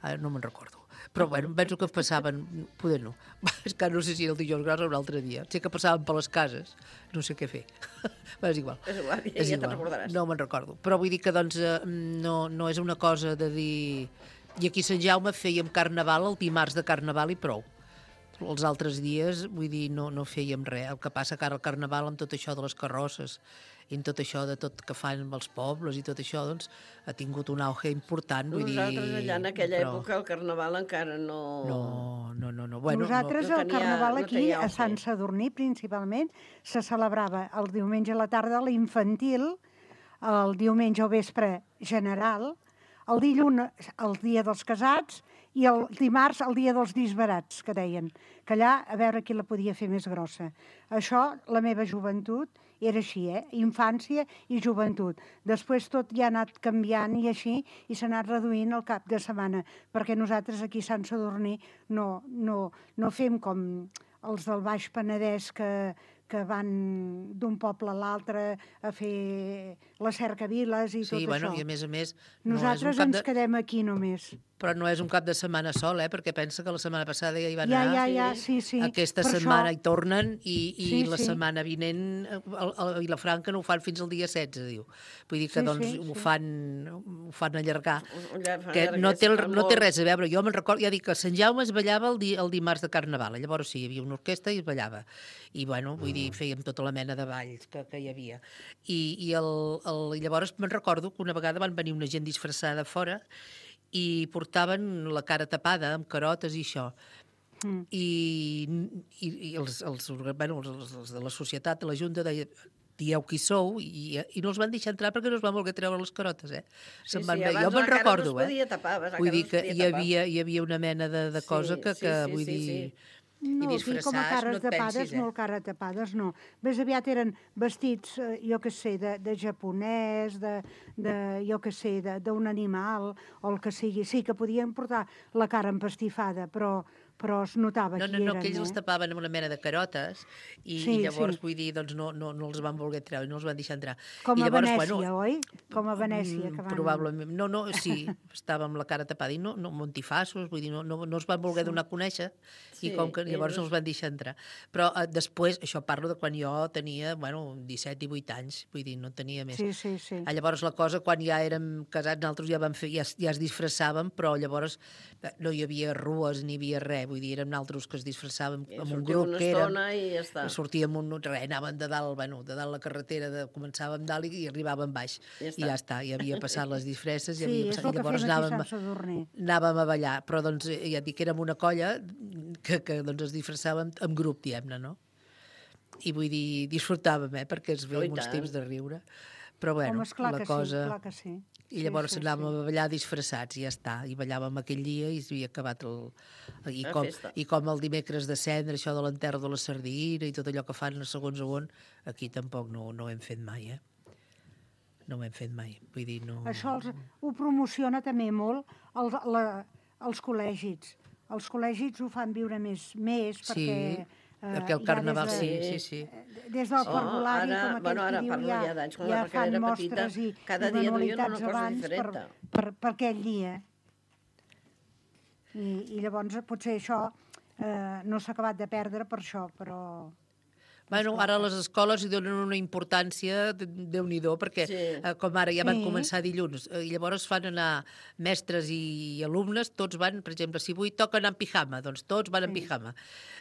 Ara no me'n recordo. Però, bueno, em penso que passaven... Poder no. És que no sé si era el dijous gras o un altre dia. Sé que passaven per les cases. No sé què fer. Però és igual. És igual, ja, ja te'n recordaràs. No me'n recordo. Però vull dir que, doncs, no, no és una cosa de dir... I aquí a Sant Jaume fèiem carnaval el dimarts de carnaval i prou. Els altres dies, vull dir, no, no fèiem res. El que passa que ara el carnaval, amb tot això de les carrosses i amb tot això de tot que fan els pobles i tot això, doncs, ha tingut un auge important. Vull Nosaltres dir, allà en aquella però... època el carnaval encara no... No, no, no. no. Bueno, Nosaltres no el tenia- carnaval no aquí, tenia a auge. Sant Sadurní principalment, se celebrava el diumenge a la tarda l'infantil, el diumenge al vespre general, el dilluns el dia dels casats i el dimarts el dia dels disbarats, que deien, que allà a veure qui la podia fer més grossa. Això, la meva joventut, era així, eh? Infància i joventut. Després tot ja ha anat canviant i així, i s'ha anat reduint el cap de setmana, perquè nosaltres aquí a Sant Sadurní no, no, no fem com els del Baix Penedès que, que van d'un poble a l'altre a fer les cercaviles i Sí, tot bueno, això. i a més a més... No Nosaltres és un cap ens de... quedem aquí només. Però no és un cap de setmana sol, eh? Perquè pensa que la setmana passada ja hi van Ja, anar. ja, ja, sí, sí. Aquesta Per setmana això- hi tornen i, i Sí, la sí. setmana vinent a, a Vilafranca no ho fan fins al dia setze, diu. Vull dir que Sí, doncs sí, ho sí. fan, ho fan allargar. Allargar, Que no té, el, fa no té molt. res a veure. Jo me'n recordo, ja dic que a Sant Jaume es ballava el, di, el dimarts de Carnaval. Llavors sí, hi havia una orquestra i es ballava. I bueno, vull dir, fèiem tota la mena de balls que, que hi havia. I, i el, el, llavors me'n recordo que una vegada van venir una gent disfressada fora i portaven la cara tapada amb carotes i això. Mm. I, i, i els, els, bueno, els, els de la societat, de la Junta, deia dieu qui sou, i, i no els van deixar entrar perquè no es van voler treure les carotes, eh? Sí, Se'n van sí, veure. abans Jo me'n la cara recordo, no es podia eh? tapar, abans la Vull cara dir no es que podia hi tapar. havia, hi havia una mena de, de cosa que, sí, que sí, vull sí, dir... sí. No, I aquí com a disfressats, cares no et tapades, pensis, eh? molt cares tapades, no. Més aviat eren vestits, eh, jo què sé, de, de japonès, de, de jo què sé, de- d'un animal, o el que sigui. Sí, que podien portar la cara empastifada, però, però es notava No, qui no, no, eren, que ells eh? els tapaven amb una mena de carotes i, Sí, i llavors, sí. vull dir, doncs no, no, no els van voler treure, no els van deixar entrar. Com I a llavors, Venècia, bueno, oi? Com a Venècia, que van... Probablement. No, no, sí, estava amb la cara tapada i no, no montifassos, vull dir, no, no, no els van voler donar a conèixer Sí, i com que llavors ells- no els van deixar entrar. Però eh, després, això parlo de quan jo tenia, bueno, disset, divuit anys, vull dir, no tenia més. Sí, sí, sí. Ah, llavors la cosa, quan ja érem casats, nosaltres ja, vam fer, ja, es- ja es disfressàvem, però llavors eh, no hi havia rues ni hi havia res, vull dir, érem nosaltres que es disfressàvem I amb un sortim grup una que érem... estona i ja està. Sortíem un... Res, anàvem de dalt, bueno, de dalt la carretera, de, començàvem dalt i, i arribàvem baix. Ja I està. ja està, i havia passat les disfresses, i Sí, havia és passat, el i que llavors fem aquí a anàvem, Sant Sadurní. anàvem a ballar. Però doncs, eh, ja et dic que érem una colla que, que doncs, es disfressàvem en grup, diguem-ne, no? I vull dir, disfrutàvem, eh? Perquè es Oh, i veiem uns tant. temps de riure. Però bueno, Home, esclar la que cosa... sí, clar que sí. I llavors sí, sí, anàvem sí. a ballar disfressats i ja està. I ballàvem aquell dia i s'havia acabat el... I La com, festa. I com el dimecres de cendre, això de l'enterro de la sardina i tot allò que fan a segons on, aquí tampoc no, no ho hem fet mai, eh? No ho hem fet mai. Vull dir, no... Això els, ho promociona també molt el, la, els col·legis. Els col·legis ho fan viure més, més Sí, perquè... perquè el ja carnaval, des de- sí, sí, sí. Des del Oh, parvulari, ara- com aquell bueno, ara que diu, parlo ja, ja d'anys, quan ja la Raquel fan era mostres petita, i, cada i dia duien una manualitats cosa abans per, diferent. per, per aquell dia. I, I llavors potser això eh, no s'ha acabat de perdre per això, però... Bueno, ara les escoles hi donen una importància, de- Déu-n'hi-do, perquè Sí. eh, com ara ja van Sí. començar dilluns, eh, i llavors fan anar mestres i alumnes, tots van, per exemple, si avui toca anar en pijama, doncs tots van en pijama.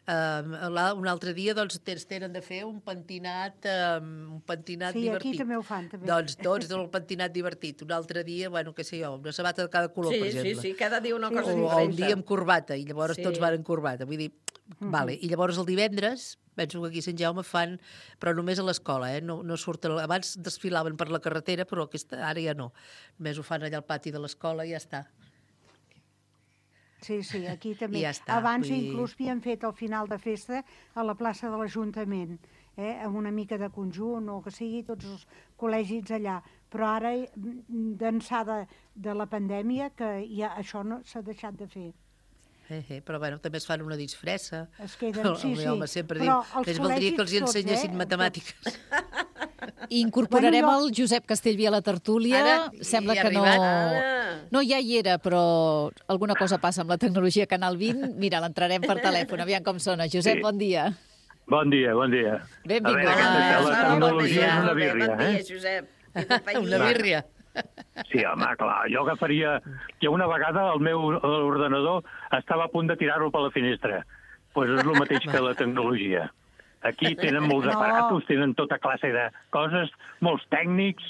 Uh, un altre dia, doncs, tens, tenen de fer un pentinat, um, un pentinat Sí, aquí divertit. també ho fan, també. Doncs tots el pentinat divertit. Un altre dia, bueno, què sé jo, una sabata de cada color, Sí, per sí, exemple. sí, cada dia una cosa o, o diferent. un dia amb corbata, i llavors Sí. tots van en corbata. Vull dir, vale. I llavors el divendres, penso que aquí a Sant Jaume fan, però només a l'escola, eh? No, no surten, abans desfilaven per la carretera, però aquesta, ara ja no. Només ho fan allà al pati de l'escola i ja està. Sí, sí, aquí també. I ja està, Abans vull dir- inclús havien fet el final de festa a la plaça de l'Ajuntament, eh? amb una mica de conjunt o que sigui, tots els col·legis allà. Però ara, mm, d'ençà de, de la pandèmia, que ja això no s'ha deixat de fer. Eh, eh, però bueno, també es fan una disfressa. Es queden, El, sí, el sí. meu home sempre Però diu, els més valdria que els col·legis tots, ensenyessin eh? matemàtiques. I incorporarem Bueno, jo- el Josep Castellví a la tertúlia. Ara, Sembla hi ha que no... arribat. Ara. No, ja hi era, però alguna cosa passa amb la tecnologia Canal vint. Mira, l'entrarem per telèfon, aviam com sona. Josep, Sí. bon dia. Bon dia, bon dia. Benvingut. A veure, aquesta, la tecnologia és una birria, Bon dia, eh? Josep. I companyia. Una birria. Sí, home, clar, jo agafaria... Que una vegada el meu ordenador estava a punt de tirar-lo per la finestra. Doncs pues és el mateix que la tecnologia. Aquí tenen molts No. aparatos, tenen tota classe de coses, molts tècnics,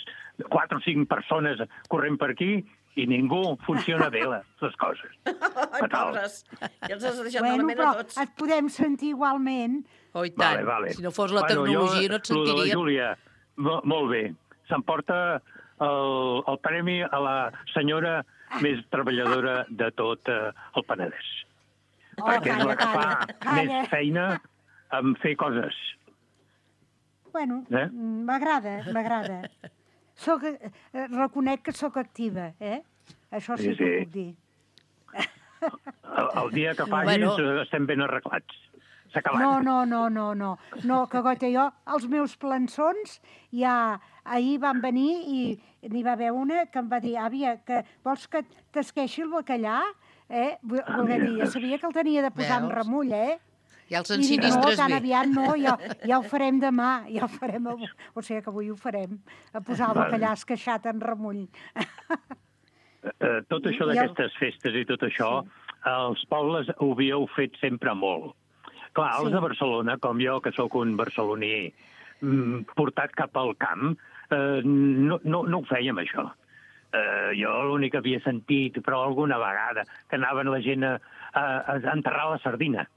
quatre o cinc persones corrent per aquí i ningú funciona bé les, les coses. Ai, pobres. Ja els has deixat Bueno, malament però a tots. et podem sentir igualment. Oh, i tant. Vale, vale. Si no fos la Bueno, tecnologia jo, no et lo de la sentiríem. Júlia, mo- molt bé. S'emporta el, el premi a la senyora més treballadora de tot eh, el Penedès. Oh, perquè és calla, la que fa calla, calla. més feina en fer coses. Bueno, Eh? mm, m'agrada, m'agrada. Soc, eh, reconec que sóc activa, eh? Això sí, Sí, que ho sí. puc dir. El, el dia que paguis Bueno. bueno. estem ben arreglats. S'ha acabat. No, no, no, no, no. No, que goita, jo, els meus plançons, ja ahir van venir i n'hi va haver una que em va dir, àvia, que vols que t'esqueixi el bacallà? Eh? Vol- Ah, Voler mira. dir, jo sabia que el tenia de posar en Veus? remull, eh? Ja els I dic, no, ensinistres tan bé. aviat no, ja, ja ho farem demà, ja ho farem avui. O sigui que avui ho farem, a posar el Vale. bacallà esqueixat en remull. Eh, tot això I el- d'aquestes festes i tot això, els pobles ho havíeu fet sempre molt. Clar, els Sí. de Barcelona, com jo, que sóc un barceloní mm, portat cap al camp, eh, no, no, no ho fèiem, això. Eh, jo l'únic que havia sentit, però alguna vegada, que anaven la gent a, a, a enterrar la sardina.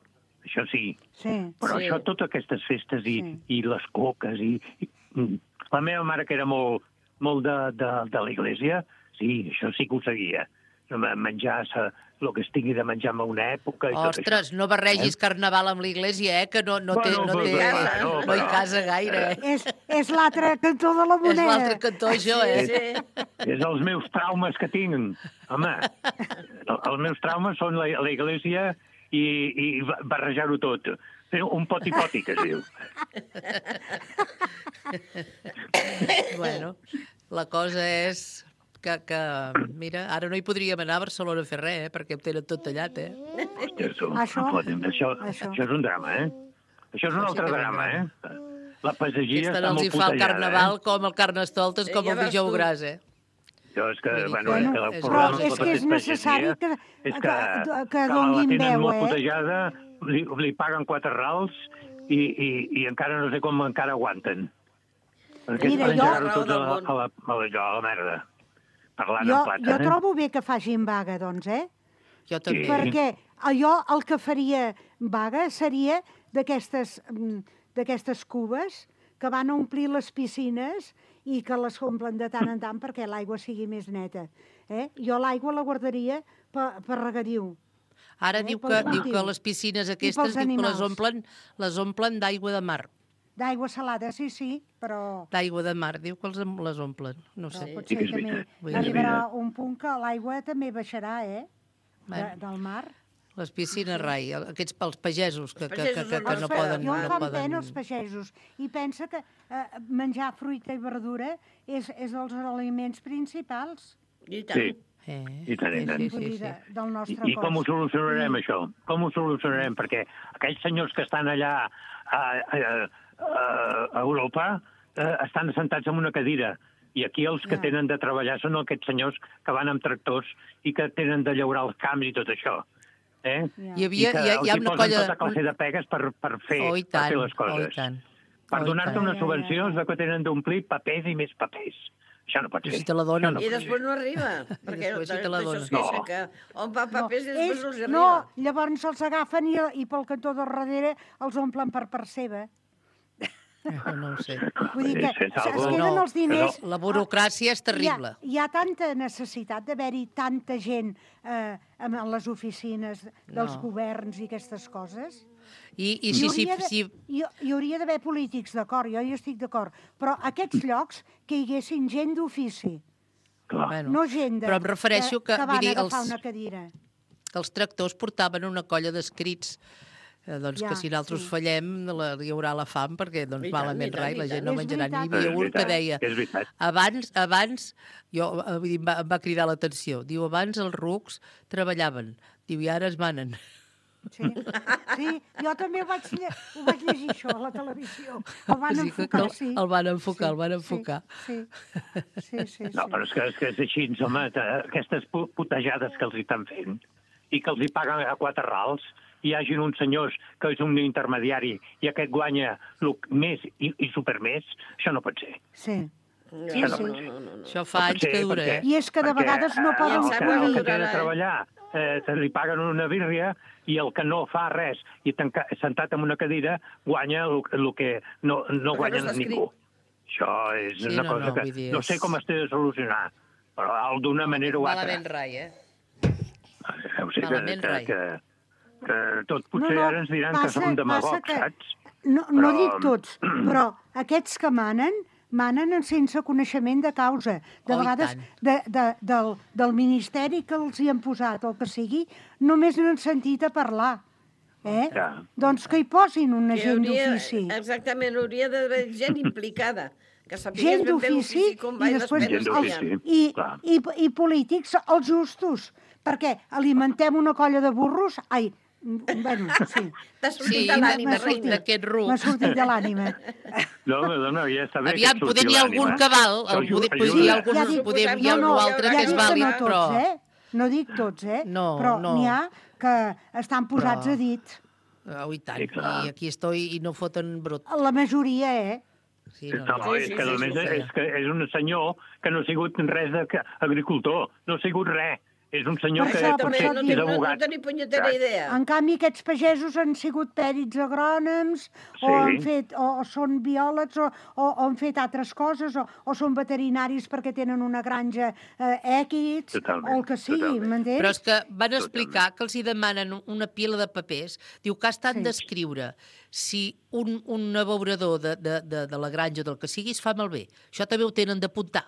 Això sí. Sí. Però sí. això, totes aquestes festes i, sí. i les coques i, i... mm, La meva mare, que era molt, molt de, de, de l'església, sí, això sí que ho seguia. Menjar el que es tingui de menjar en una època i tot Ostres, això. no barregis carnaval amb l'església, eh? Que no, no, té, Bueno, no, té, però- no, però- hi casa gaire, eh? És, és l'altre cantó de la És moneda. l'altre cantó, això, eh? Sí. És els meus traumes que tinc. Home, el- els meus traumes són la- l'església i, i barrejar-ho tot. Fer un poti-poti, que es diu. Bueno, la cosa és que, que, mira, ara no hi podríem anar a Barcelona a fer res, eh? Perquè ho tenen tot tallat, eh? Hòstia, això, Això- no podem, això, això. això és un drama, eh? Això és un Això sí altre que és un drama, drama. eh? La pagesia Aquesta està no els molt hi fa el putejada, carnaval eh? com el carnestoltes, com Ja el veus dijous tu. gras, eh? Jo és que, Vull dir bueno, que- és que Bueno, el és problema però de és tota que és aquesta necessari pagesia que- és que, que- que la donin tenen veu, molt eh? putejada, li, li paguen quatre rals i, i, i encara no sé com encara aguanten. Perquè Mira, es jo- penjaran tots a la, a la, a la, a la merda. Parlant Jo, en plata, jo eh? trobo bé que facin vaga, doncs, eh? Jo també. Sí. Perquè jo el que faria vaga seria d'aquestes mm, d'aquestes cubes que van a omplir les piscines i que les omplen de tant en tant perquè l'aigua sigui més neta. Eh? Jo l'aigua la guardaria per, per regadiu. Ara Eh, diu, pel que, diu cultiu. que les piscines I aquestes pels diu que les animals. omplen, les omplen d'aigua de mar. D'aigua salada, sí, sí, però, D'aigua de mar, diu que els, les omplen. No però sé. potser que és també veritat. Vull dir- arribarà un punt que l'aigua també baixarà, eh? De, Bueno. del mar. Les piscines rai, aquests pels pagesos que, que, que, que, que Els no pa- poden... Jo em No fan poden... pena els pagesos i pensa que eh, menjar fruita i verdura és, és dels aliments principals. I tant. Sí, Eh, i tant, i tant. sí, Vull sí, dir, sí. de, del nostre I, I com ho cos. solucionarem, Mm. això? Com ho solucionarem? Perquè aquells senyors que estan allà a, a, a, a Europa eh, estan assentats en una cadira. I aquí els que Ja. tenen de treballar són aquests senyors que van amb tractors i que tenen de llaurar els camps i tot això. Eh? Ja. Hi havia, I que hi ha, hi ha els hi una posen colla... tota classe de pegues per, per, fer, Oh, i per tant, fer les coses. oh, i tant. Per Oh, i donar-te tant. unes subvencions de que tenen d'omplir papers i més papers. Això no pot I ser. si te la donen. Això I pot després ser. no arriba. Perquè després si te la d'això donen. es queixa No. que on va papers i No, després ells- no els hi no, arriba. llavors els agafen i, i pel cantó de darrere els omplen per part seva. No, no ho sé. Vull dir que És- és es algo- queden els diners... La burocràcia és terrible. Hi ha, hi ha tanta necessitat d'haver-hi tanta gent eh, en les oficines dels No. governs i aquestes coses. I, i Hi si, si, hauria de- si, Hi, hi hauria d'haver polítics, d'acord, jo hi estic d'acord, però aquests llocs que hi haguessin gent d'ofici, bueno, no gent de, però em refereixo que, que, que vull van dir, agafar els, una cadira. que els tractors portaven una colla d'escrits eh, doncs Ja, que si nosaltres sí. fallem la, hi haurà la fam perquè doncs, I tant, malament i tant, rai, i la gent tant. no És menjarà. N'hi veritat. havia És un que veritat, deia és veritat. abans, abans jo, eh, vull dir, em, va, em va cridar l'atenció, diu abans els rucs treballaven, diu i ara es manen. Sí, sí, jo també ho vaig, lle ho vaig llegir això a la televisió. El van Sí, que- enfocar, que sí. el van enfocar, sí, el van enfocar. Sí, sí, sí, sí. No, però és que és, que és així, home, t- aquestes pu- putejades que els hi estan fent i que els hi paguen a quatre rals, hi hagin uns senyors que és un intermediari i aquest guanya lo més i, i supermés, això no pot ser. Sí. No, Sí, no, sí. no, no, no, no. Això fa anys que dura, eh? I és que de vegades no eh, poden el que, el escollir. que té de treballar eh, se li paguen una birria i el que no fa res i tanca, sentat en una cadira guanya el, el que no, no Perquè guanya no està ningú. Això és Sí, una no, cosa no, que vull dir, no sé és- com es té de solucionar, però d'una manera o altra. Malament rai, eh? Deu ser que, malament que, rai. que, que tot potser No, no, ara ens diran passa- que som passa demagogs, que- saps? No, no Però- dic tots, però aquests que manen, manen sense coneixement de causa. De Oh, i vegades tant. de, de, del, del ministeri que els hi han posat, o el que sigui, només no han sentit a parlar. Eh? Ja. Doncs que hi posin una Que gent hauria- d'ofici. Exactament, hauria d'haver gent implicada, que sapigués Gent ben bé d'ofici l'ofici com va i i les després penes Gent que hi d'ofici. ha. i, clar. i, i polítics els justos, perquè alimentem una colla de burros... Ai, mm, bueno, sí. T'ha sortit Sí, de l'ànima, m'ha sortit. reina. d'aquest ruc. M'ha sortit de l'ànima. No, no, no, ja està bé Aviam, que et poder surti n'hi ha algun l'ànima. que val, Això el, poder, ajuda. poder, hi ha algun, Ja dic- poder, hi ha no, algú no, altre ja que és dic que vàlid, no tots, però... eh? No dic tots, eh? No, però no. n'hi ha que estan posats Però- a dit. Oh, i tant, Sí, clar. i aquí estoy i no foten brut. La majoria, eh? Sí, No, no, no. és que a més és, que és un senyor que no ha sigut res d'agricultor, no ha sigut res. És un senyor Per que això, per potser això no, dic- és té, no, no abogat. té ni punyetera idea. En canvi, aquests pagesos han sigut pèrits agrònoms, o, Sí. han fet, o, o són biòlegs, o, o, o han fet altres coses, o, o són veterinaris perquè tenen una granja eh, èquids, Totalment, o el que sigui, totalment. m'entens? Però és que van explicar que els hi demanen una pila de papers. Diu que estan Sí. d'escriure si un, un abeurador de, de, de, de la granja del que sigui es fa malbé. Això també ho tenen d'apuntar.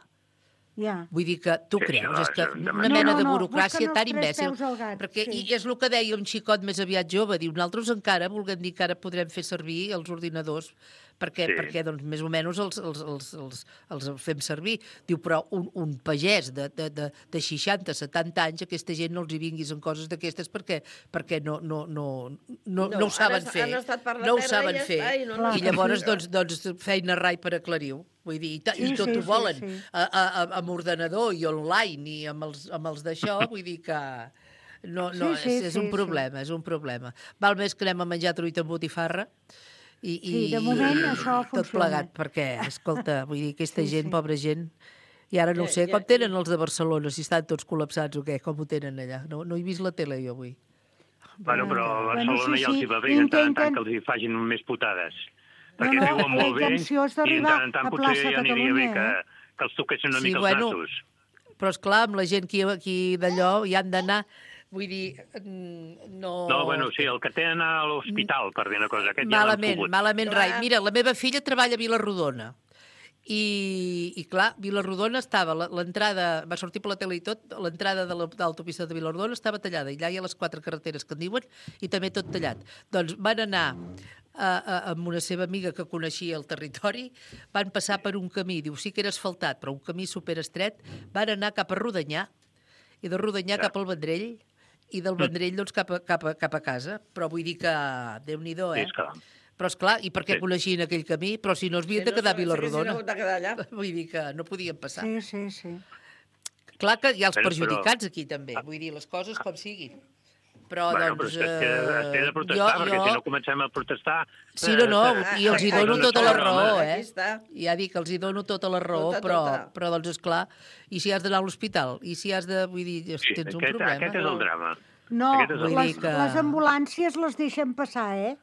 Ja. Vull dir que tu Sí, creus, això és que és de una manera- mena No, de no, no, burocràcia busquen tan els tres imbècil. peus al gat, Perquè, sí. I és el que deia un xicot més aviat jove, diu, nosaltres encara volguem dir que ara podrem fer servir els ordinadors perquè, Sí. perquè doncs, més o menys els, els, els, els, els fem servir. Diu, però un, un pagès de, de, de, de seixanta, setanta anys, aquesta gent no els hi vinguis en coses d'aquestes perquè, perquè no, no, no, no, no, No, no ho saben han- fer. han estat per la no ho terra saben i ja fer. està, i no- no I estan llavors, fent doncs, doncs, feina rai per aclarir-ho. Vull dir, i, ta, Sí, i tot sí, ho sí, volen sí. A, a, a, amb ordenador i online i amb els, amb els d'això, vull dir que no, no, Sí, sí, és, és sí, un sí. problema, és un problema. Val més que anem a menjar truita amb botifarra i, i, Sí, de moment i això tot funciona. plegat, perquè, escolta, vull dir, aquesta Sí, gent, sí. pobra gent, i ara no ho Ja, sé, ja, com tenen els de Barcelona, si estan tots col·lapsats o què, com ho tenen allà? No, no he vist la tele jo avui. Bueno, però a Bueno, Barcelona sí, ja els sí, hi va bé, en tant en tant intenten- que els hi facin més putades. Perquè no, viuen la molt bé intenció és i en d'arribar tant en tant a potser plaça ja aniria bé Catalunya, que, eh? que els toquessin una Sí, mica bueno, els nassos. Però, esclar, amb la gent aquí, aquí d'allò hi han d'anar, vull dir, mm, no... No, bueno, sí, el que té d'anar a l'hospital, per dir una cosa, aquest ja l'han Malament, pogut. malament, Clar. rai. Mira, la meva filla treballa a Vilarrodona. I, i clar, Vilarrodona estava, la- l'entrada, va sortir per la tele i tot, l'entrada de la- de l'autopista de Vilarrodona estava tallada, i allà hi ha les quatre carreteres que en diuen, i també tot tallat. Doncs van anar a, a, amb una seva amiga que coneixia el territori, van passar per un camí, diu, sí que era asfaltat, però un camí superestret, van anar cap a Rodanyà, i de Rodanyà cap al Vendrell, i del Vendrell doncs, cap, a, cap, a, cap a casa. Però vull dir que, Déu-n'hi-do, eh? És clar. Però, esclar, i per què Sí. coneixien aquell camí? Però si no es havien Si de no, quedar a s'haguessin Vilarrodona. hagut de quedar allà. Vull dir que no podien passar. Sí, sí, sí. Clar que hi ha els Però- perjudicats aquí, també. Vull dir, les coses com siguin. Però, Bueno, però doncs... és que es té, es té de eh, protestar, jo- perquè jo- si no comencem a protestar... Sí, no, no, eh, i els hi eh, dono eh, tota la home, raó, Aquí eh? està. Ja dic que els hi dono tota la raó, Tota, però, tota. però doncs, esclar, i si has d'anar a l'hospital? I si has de... Vull dir, Sí, tens un aquest, problema. aquest és el drama. No, Aquest és el Vull les, dir que- les ambulàncies les deixen passar, eh?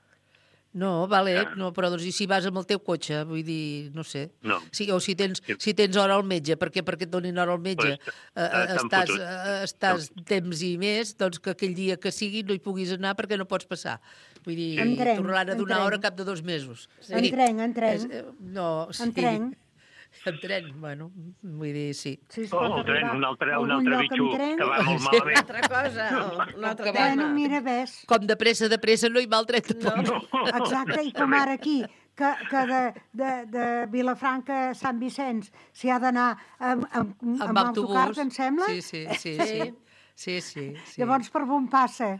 No, vale, no, però doncs, i si vas amb el teu cotxe, vull dir, no sé. No. Sí, o si tens, si tens hora al metge, perquè perquè et donin hora al metge, Pues, eh, eh, estàs, fotut. eh, estàs temps i més, doncs que aquell dia que sigui no hi puguis anar perquè no pots passar. Vull dir, En tren, tornaran a en donar tren. hora cap de dos mesos. En tren, en tren. És, eh, no, sí. En tren. En tren, bueno, vull dir, sí. Sí, es Oh, pot el tren, arribar un altre, a un algun altre lloc en bitxo tren. que va molt Sí. malament. Una altra cosa, o un altre Bueno, tema. mira, ves. Com de pressa, de pressa, no hi va el tren tampoc. Exacte, i com ara aquí, que, que de, de, de Vilafranca a Sant Vicenç s'hi ha d'anar amb, amb, amb, Amb autocars, autobús. em sembla? Sí, sí, sí, sí. Sí, sí, sí. Llavors, per on passa?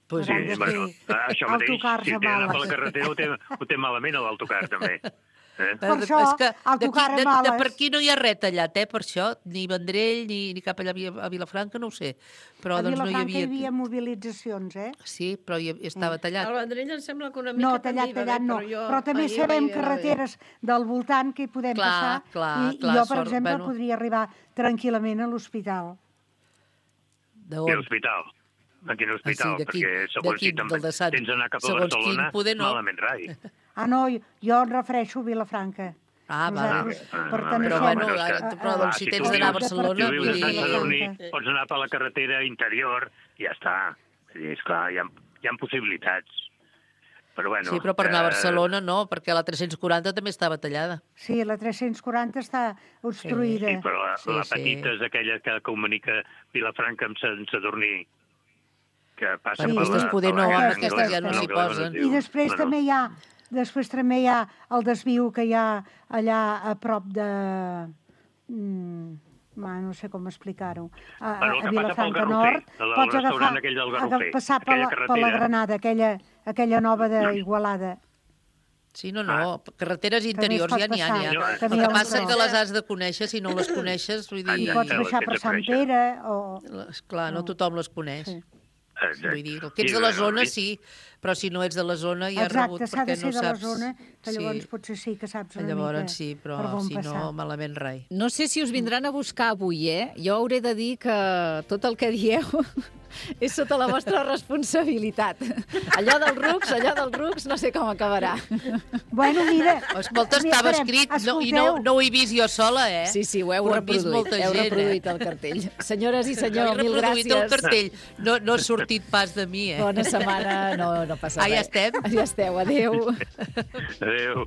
Pues Sí, Hauran de bueno, fer això mateix, autocars si a té d'anar per males. la carretera ho té, ho té malament a l'autocar, també. Eh? Per això, és que autocar d'aquí- a de, de males. per aquí no hi ha res tallat, eh, per això, ni Vendrell, ni, ni cap allà a Vi- a Vilafranca, no ho sé. Però A doncs no hi Vilafranca hi havia... havia mobilitzacions, eh? Sí, però hi, estava tallat. El Vendrell em sembla que una mica No, tallat, també hi va tallat haver, no. però jo Però també ahir sabem vaig veure- carreteres del voltant que hi podem Clar, passar. clar, I, clar, I jo, per sort, exemple, bueno. podria arribar tranquil·lament a l'hospital. D'on? I l'hospital. A quin hospital? Ah, sí, d'aquí- Perquè segons d'aquí, si te'n del de Sant- tens d'anar cap a segons quin, Barcelona, poder no. malament rai. Ah, no, jo em refereixo a Vilafranca. Ah, Nosaltres Ah, perteneixem però bueno, a- ara, a- però a- doncs, si tu tens d'anar a vius- Barcelona, si tu vius vull a dir... Sant Sadurní, Vilafranca. pots anar per la carretera interior i ja està. Vull dir, esclar, hi ha, hi ha possibilitats. Però bueno... Sí, però per anar a eh, Barcelona no, perquè la tres-cents quaranta també estava tallada. Sí, la tres-cents quaranta està obstruïda. Sí, però la, Sí, la sí. petita és aquella que comunica Vilafranca amb Sant Sadurní, que passa Bueno, per aquestes la... poder per no, la amb Gran aquestes Anglès, ja no per s'hi la Gran posen. Anglès. I després Bueno, també hi ha després també hi ha el desviu que hi ha allà a prop de... Mm, ma, no sé com explicar-ho. A, Bueno, el a que passa pel Vilafranca Garrofer, Nord el pots restaurant agafar, aquell del aga- Garrofer, passar per aquella la, per la carretera. Granada, aquella, aquella nova d'Igualada. Sí, no, no, carreteres També es interiors pot ja n'hi ha, n'hi ha. passar. El També hi que ha un passa és tros. que les has de conèixer, si no les coneixes, vull I dir... pots baixar per Sant Pere o... Clar, no tothom les coneix. Sí. Vull dir, el que ets de la zona, sí, però si no ets de la zona ja has rebut Exacte, s'ha perquè de no ser de la saps... zona, que llavors potser sí que saps una Llavors mica sí, però per on si passar. no, malament rai. No sé si us vindran a buscar avui, eh? Jo hauré de dir que tot el que dieu és sota la vostra responsabilitat. Allò dels rucs, allò dels rucs, no sé com acabarà. Bueno, mira... Escolta, mira, estava esperem, escrit no, i escolteu. no, no ho he vist jo sola, eh? Sí, sí, ho heu Ho han vist reproduït, molta heu gent, reproduït eh? el cartell. Senyores i Jo senyor, he mil reproduït gràcies. el cartell. No, no ha sortit pas de mi, eh? Bona setmana, no, no passa Ah, ja res. estem? Ja esteu, adéu. Adéu.